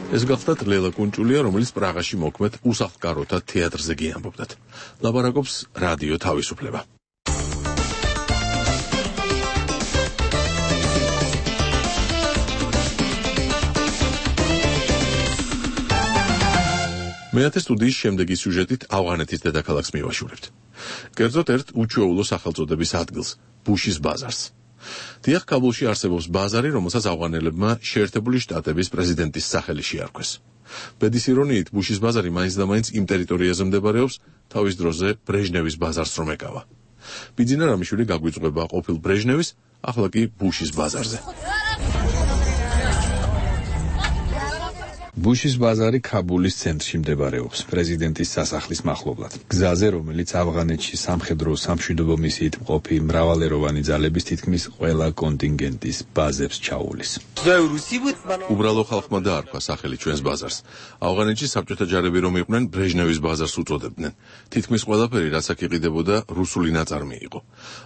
ეს გახლდათ ლელა კუნჭულია, რომელიც პრაღაში მოქმედ უსახლკაროთა თეატრზე გიამბობდათ. ლაბარაკობს რადიო თავისუფლება. მეათე სტუდიის შემდეგი სიუჟეტით ავღანეთის დედაქალაქს მივაშურებთ. კერძოდ ერთ უჩვეულო სახელწოდების ადგილს, ბუშის ბაზარს. დიახ, კაბულში არსებობს ბაზარი, რომელსაც ავღანელებმა შეერთებული შტატების პრეზიდენტის სახელი შეარქვეს. ბედის ირონიით, ბუშის ბაზარი მაინც და მაინც იმ ტერიტორიაზე მდებარეობს, თავის დროზე ბრეჟნევის ბაზარს რომ ეკავა. ბიძინა რამიშვილი გაგვიწვება ყოფილ ბრეჟნევის, ახლა კი ბუშის ბაზარზე. ბუშის ბაზარი ქაბულის ცენტრში მდებარეობს, პრეზიდენტის სასახლის მახლობლად. გზაზე, რომელიც ავღანეთში სამხედრო სამშვიდობო მისიით მყოფი მრავალეროვანი ძალების თითქმის ყველა კონტინგენტის ბაზებს ჩაუვლის. უბრალო ხალხმა დაარქვა სახელი ჩვენს ბაზარს. ავღანეთში საბჭოთა ჯარები რომ იყვნენ, ბრეჟნევის ბაზარს უწოდებდნენ. თითქმის ყველაფერი, რაც აქ იყიდებოდა, რუსული ნაწარმი იყო.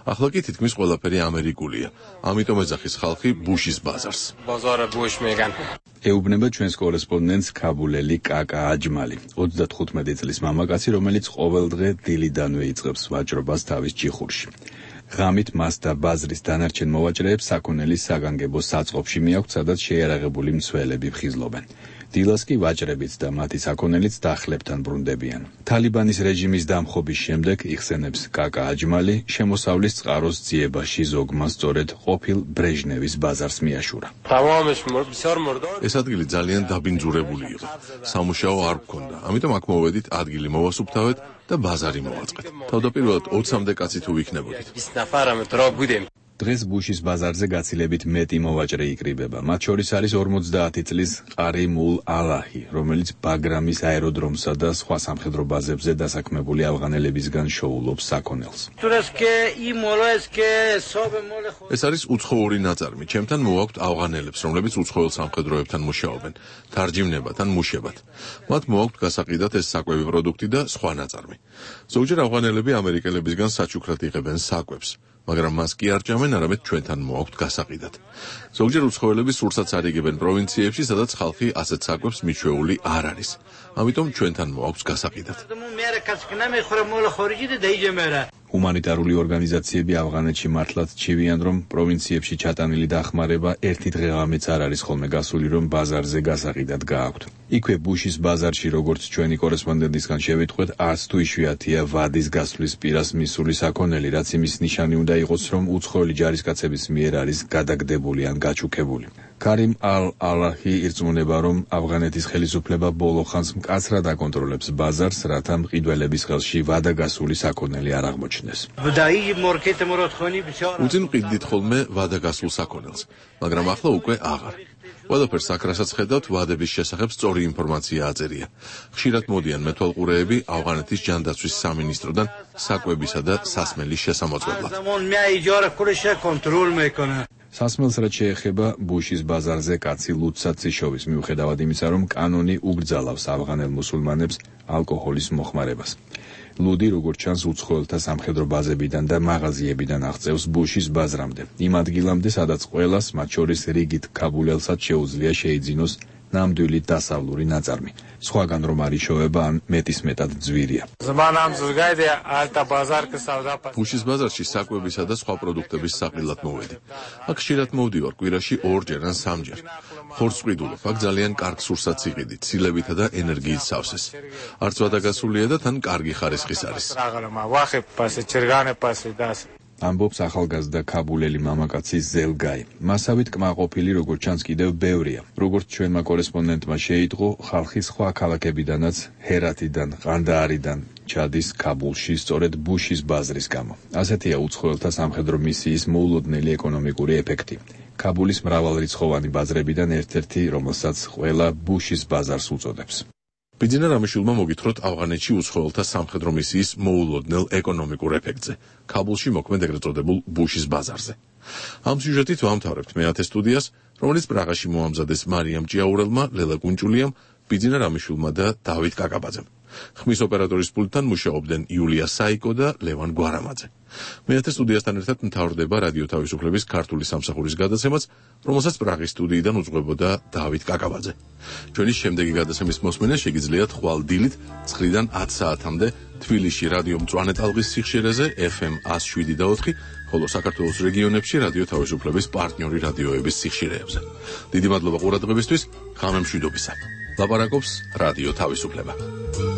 ახლა კი თითქმის ყველაფერი ამერიკულია. ამიტომ ეძახის ხალხი ბუშის ბაზარს. ეუბნება ჩვენს კორესპონდენტს ქაბულელი კაკა აჯმალი, 35 წლის მამაკაცი, რომელიც ყოველდღე დილიდანვე იწყებს ვაჭრობას თავის ჯიხურში. ღამით მას და ბაზრის დანარჩენ მოვაჭრეებს საქონელის საგანგებო საწყობში მიაქვთ, სადაც შეიარაღებული მცველები ფხიზლობენ. დილას კი ვაჭრებიც და მათი საქონელიც დახლებთან ბრუნდებიან. თალიბანის რეჟიმის დამხობის შემდეგ იხსენებს კაკა აჯმალი, შემოსავლის წყაროს ძიებაში ზოგმა სწორედ ყოფილ ბრეჟნევის ბაზარს მიაშურა. ეს ადგილი ძალიან დაბინძურებული იყო. სამუშაო არ გქონდა, ამიტომ აქ მოვედით, ადგილი მოვასუფთავეთ და ბაზარი მოვაწყეთ. თავდაპირველად 20-მდე კაცი თუ ვიქნებოდით. დღეს ბუშის ბაზარზე გაცილებით მეტი მოვაჭრე იკრიბება. მათ შორის არის 50 წლის ყარიმულ ალაჰი, რომელიც ბაგრამის აეროდრომსა და სხვა სამხედრო ბაზებზე დასაქმებული ავღანელებისგან შოულობს საქონელს. ეს არის უცხოური ნაწარმი. ჩემთან მოვაქვთ ავღანელებს, რომლებიც უცხოელ სამხედროებთან მუშაობენ, თარჯიმნებად ან მუშებად. მათ მოვაქვთ გასაყიდად ეს საკვები პროდუქტი და სხვა ნაწარმი. ზოგჯერ ავღანელები ამერიკელებისგან საჩუქრად იღებენ საკვებს. მაგრამ მას კი არ ჭამენ, არამედ ჩვენთან მოვაქვთ გასაყიდად. ზოგჯერ უცხოელები სურსაც არიგებენ პროვინციებში, სადაც ხალხი ასეთ საკვებს მიჩვეული არ არის. ამიტომ ჩვენთან მოვაქვთ გასაყიდად. ჰუმანიტარული ორგანიზაციები ავღანეთში მართლაც ჩივიან, რომ პროვინციებში ჩატანილი დახმარება ერთი დღეღამეც არ არის ხოლმე გასული, რომ ბაზარზე გასაყიდად გააქვთ. იქვე ბუშის ბაზარში, როგორც ჩვენი კორესპონდენტისგან შევიტყვეთ, არც თუ იშვიათია ვადის გასვლის პირას მისული საქონელი, რაც იმის ნიშანი უნდა იყოს, რომ უცხოელი ჯარისკაცების მიერ არის გადაგდებული ან გაჩუქებული. ქარიმ ალ-ალაჰი ირწმუნება, რომ ავღანეთის ხელისუფლება ბოლო ხანს მკაცრად აკონტროლებს ბაზარს, რათა მყიდველების ხელში ვადაგასული საქონელი არ აღმოჩნდეს. უწინ მყიდდით ხოლმე ვადაგასულ საქონელს, მაგრამ ახლა უკვე აღარ. ყველაფერს აქ რასაც ხედავთ, ვადების შესახებ სწორი ინფორმაცია აწერია. ხშირად მოდიან მეთვალყურეები ავღანეთის ჯანდაცვის სამინისტროდან საკვებისა და სასმელის შესამოწმებლად. სასმელს რაც შეეხება ბუშის ბაზარზე კაცი ლუცად იშოვის, მიუხედავად იმისა, რომ კანონი ugრძალავს ავღანელ მუსულმანებს ალკოჰოლის მოხმარებას. ლუდი, როგორც ჩანს, უცხოელთა სამხედრო ბაზებიდან და მაღაზიებიდან აღწევს ბუშის ბაზრამდე, იმ ადგილამდე, სადაც ყველას, მათ შორის რიგით ქაბულელსაც შეუძლია შეიძინოს ნამდვილი დასავლური ნაწარმი. სხვაგან რომ არ იშოვება ან მეტისმეტად ძვირია. ბუშის ბაზარში საკვებისა და სხვა პროდუქტების საყიდლად მოვედი. აქ ხშირად მოვდივარ კვირაში 2-ჯერ ან 3-ჯერ. ხორცს ვყიდულობ, აქ ძალიან კარგ სურსათს იყიდით, ცილებითა და ენერგიით სავსეს. არც ვადაგასულია და თან კარგი ხარისხის არის. ამბობს ახალგაზრდა ქაბულელი მამაკაცი ზელგაი. მასავით კმაყოფილი, როგორც ჩანს, კიდევ ბევრია. როგორც ჩვენმა კორესპონდენტმა შეიტყო, ხალხი სხვა ქალაქებიდანაც, ჰერათიდან, ყანდაარიდან ჩადის ქაბულში სწორედ ბუშის ბაზრის გამო. ასეთია უცხოელთა სამხედრო მისიის მოულოდნელი ეკონომიკური ეფექტი. ქაბულის მრავალრიცხოვანი ბაზრებიდან ერთ-ერთი, რომელსაც ყველა ბუშის ბაზარს უწოდებს. ბიძინა რამიშვილმა მოგითხროთ ავღანეთში უცხოელთა სამხედრო მისიის მოულოდნელ ეკონომიკურ ეფექტზე, ქაბულში მოქმედ ეგრეთ წოდებულ ბუშის ბაზარზე. ამ სიუჟეტით ვამთავრებთ მეათე სტუდიას, რომელიც პრაღაში მოამზადეს მარიამ ჭიაურელმა, ლელა კუნჭულიამ, ბიძინა რამიშვილმა და დავით კაკაბაძემ. ხმის ოპერატორის პულტთან მუშაობდნენ იულია საიკო და ლევან გვარამაძე. მეათე სტუდიასთან ერთად მთავრდება რადიო თავისუფლების ქართული სამსახურის გადაცემაც, რომელსაც პრაღის სტუდიიდან უძღვებოდა დავით კაკაბაძე. ჩვენი შემდეგი გადაცემის მოსმენა შეგიძლიათ ხვალ დილით 9-დან 10 საათამდე თბილისში რადიო მწვანე ტალღის სიხშირეზე FM 107.4, ხოლო საქართველოს რეგიონებში რადიო თავისუფლების პარტნიორი რადიოების სიხშირეებზე. დიდი მადლობა ყურადღებისთვის, ღამემშვიდობისა. ლაპარაკობს რადიო თავისუფლება.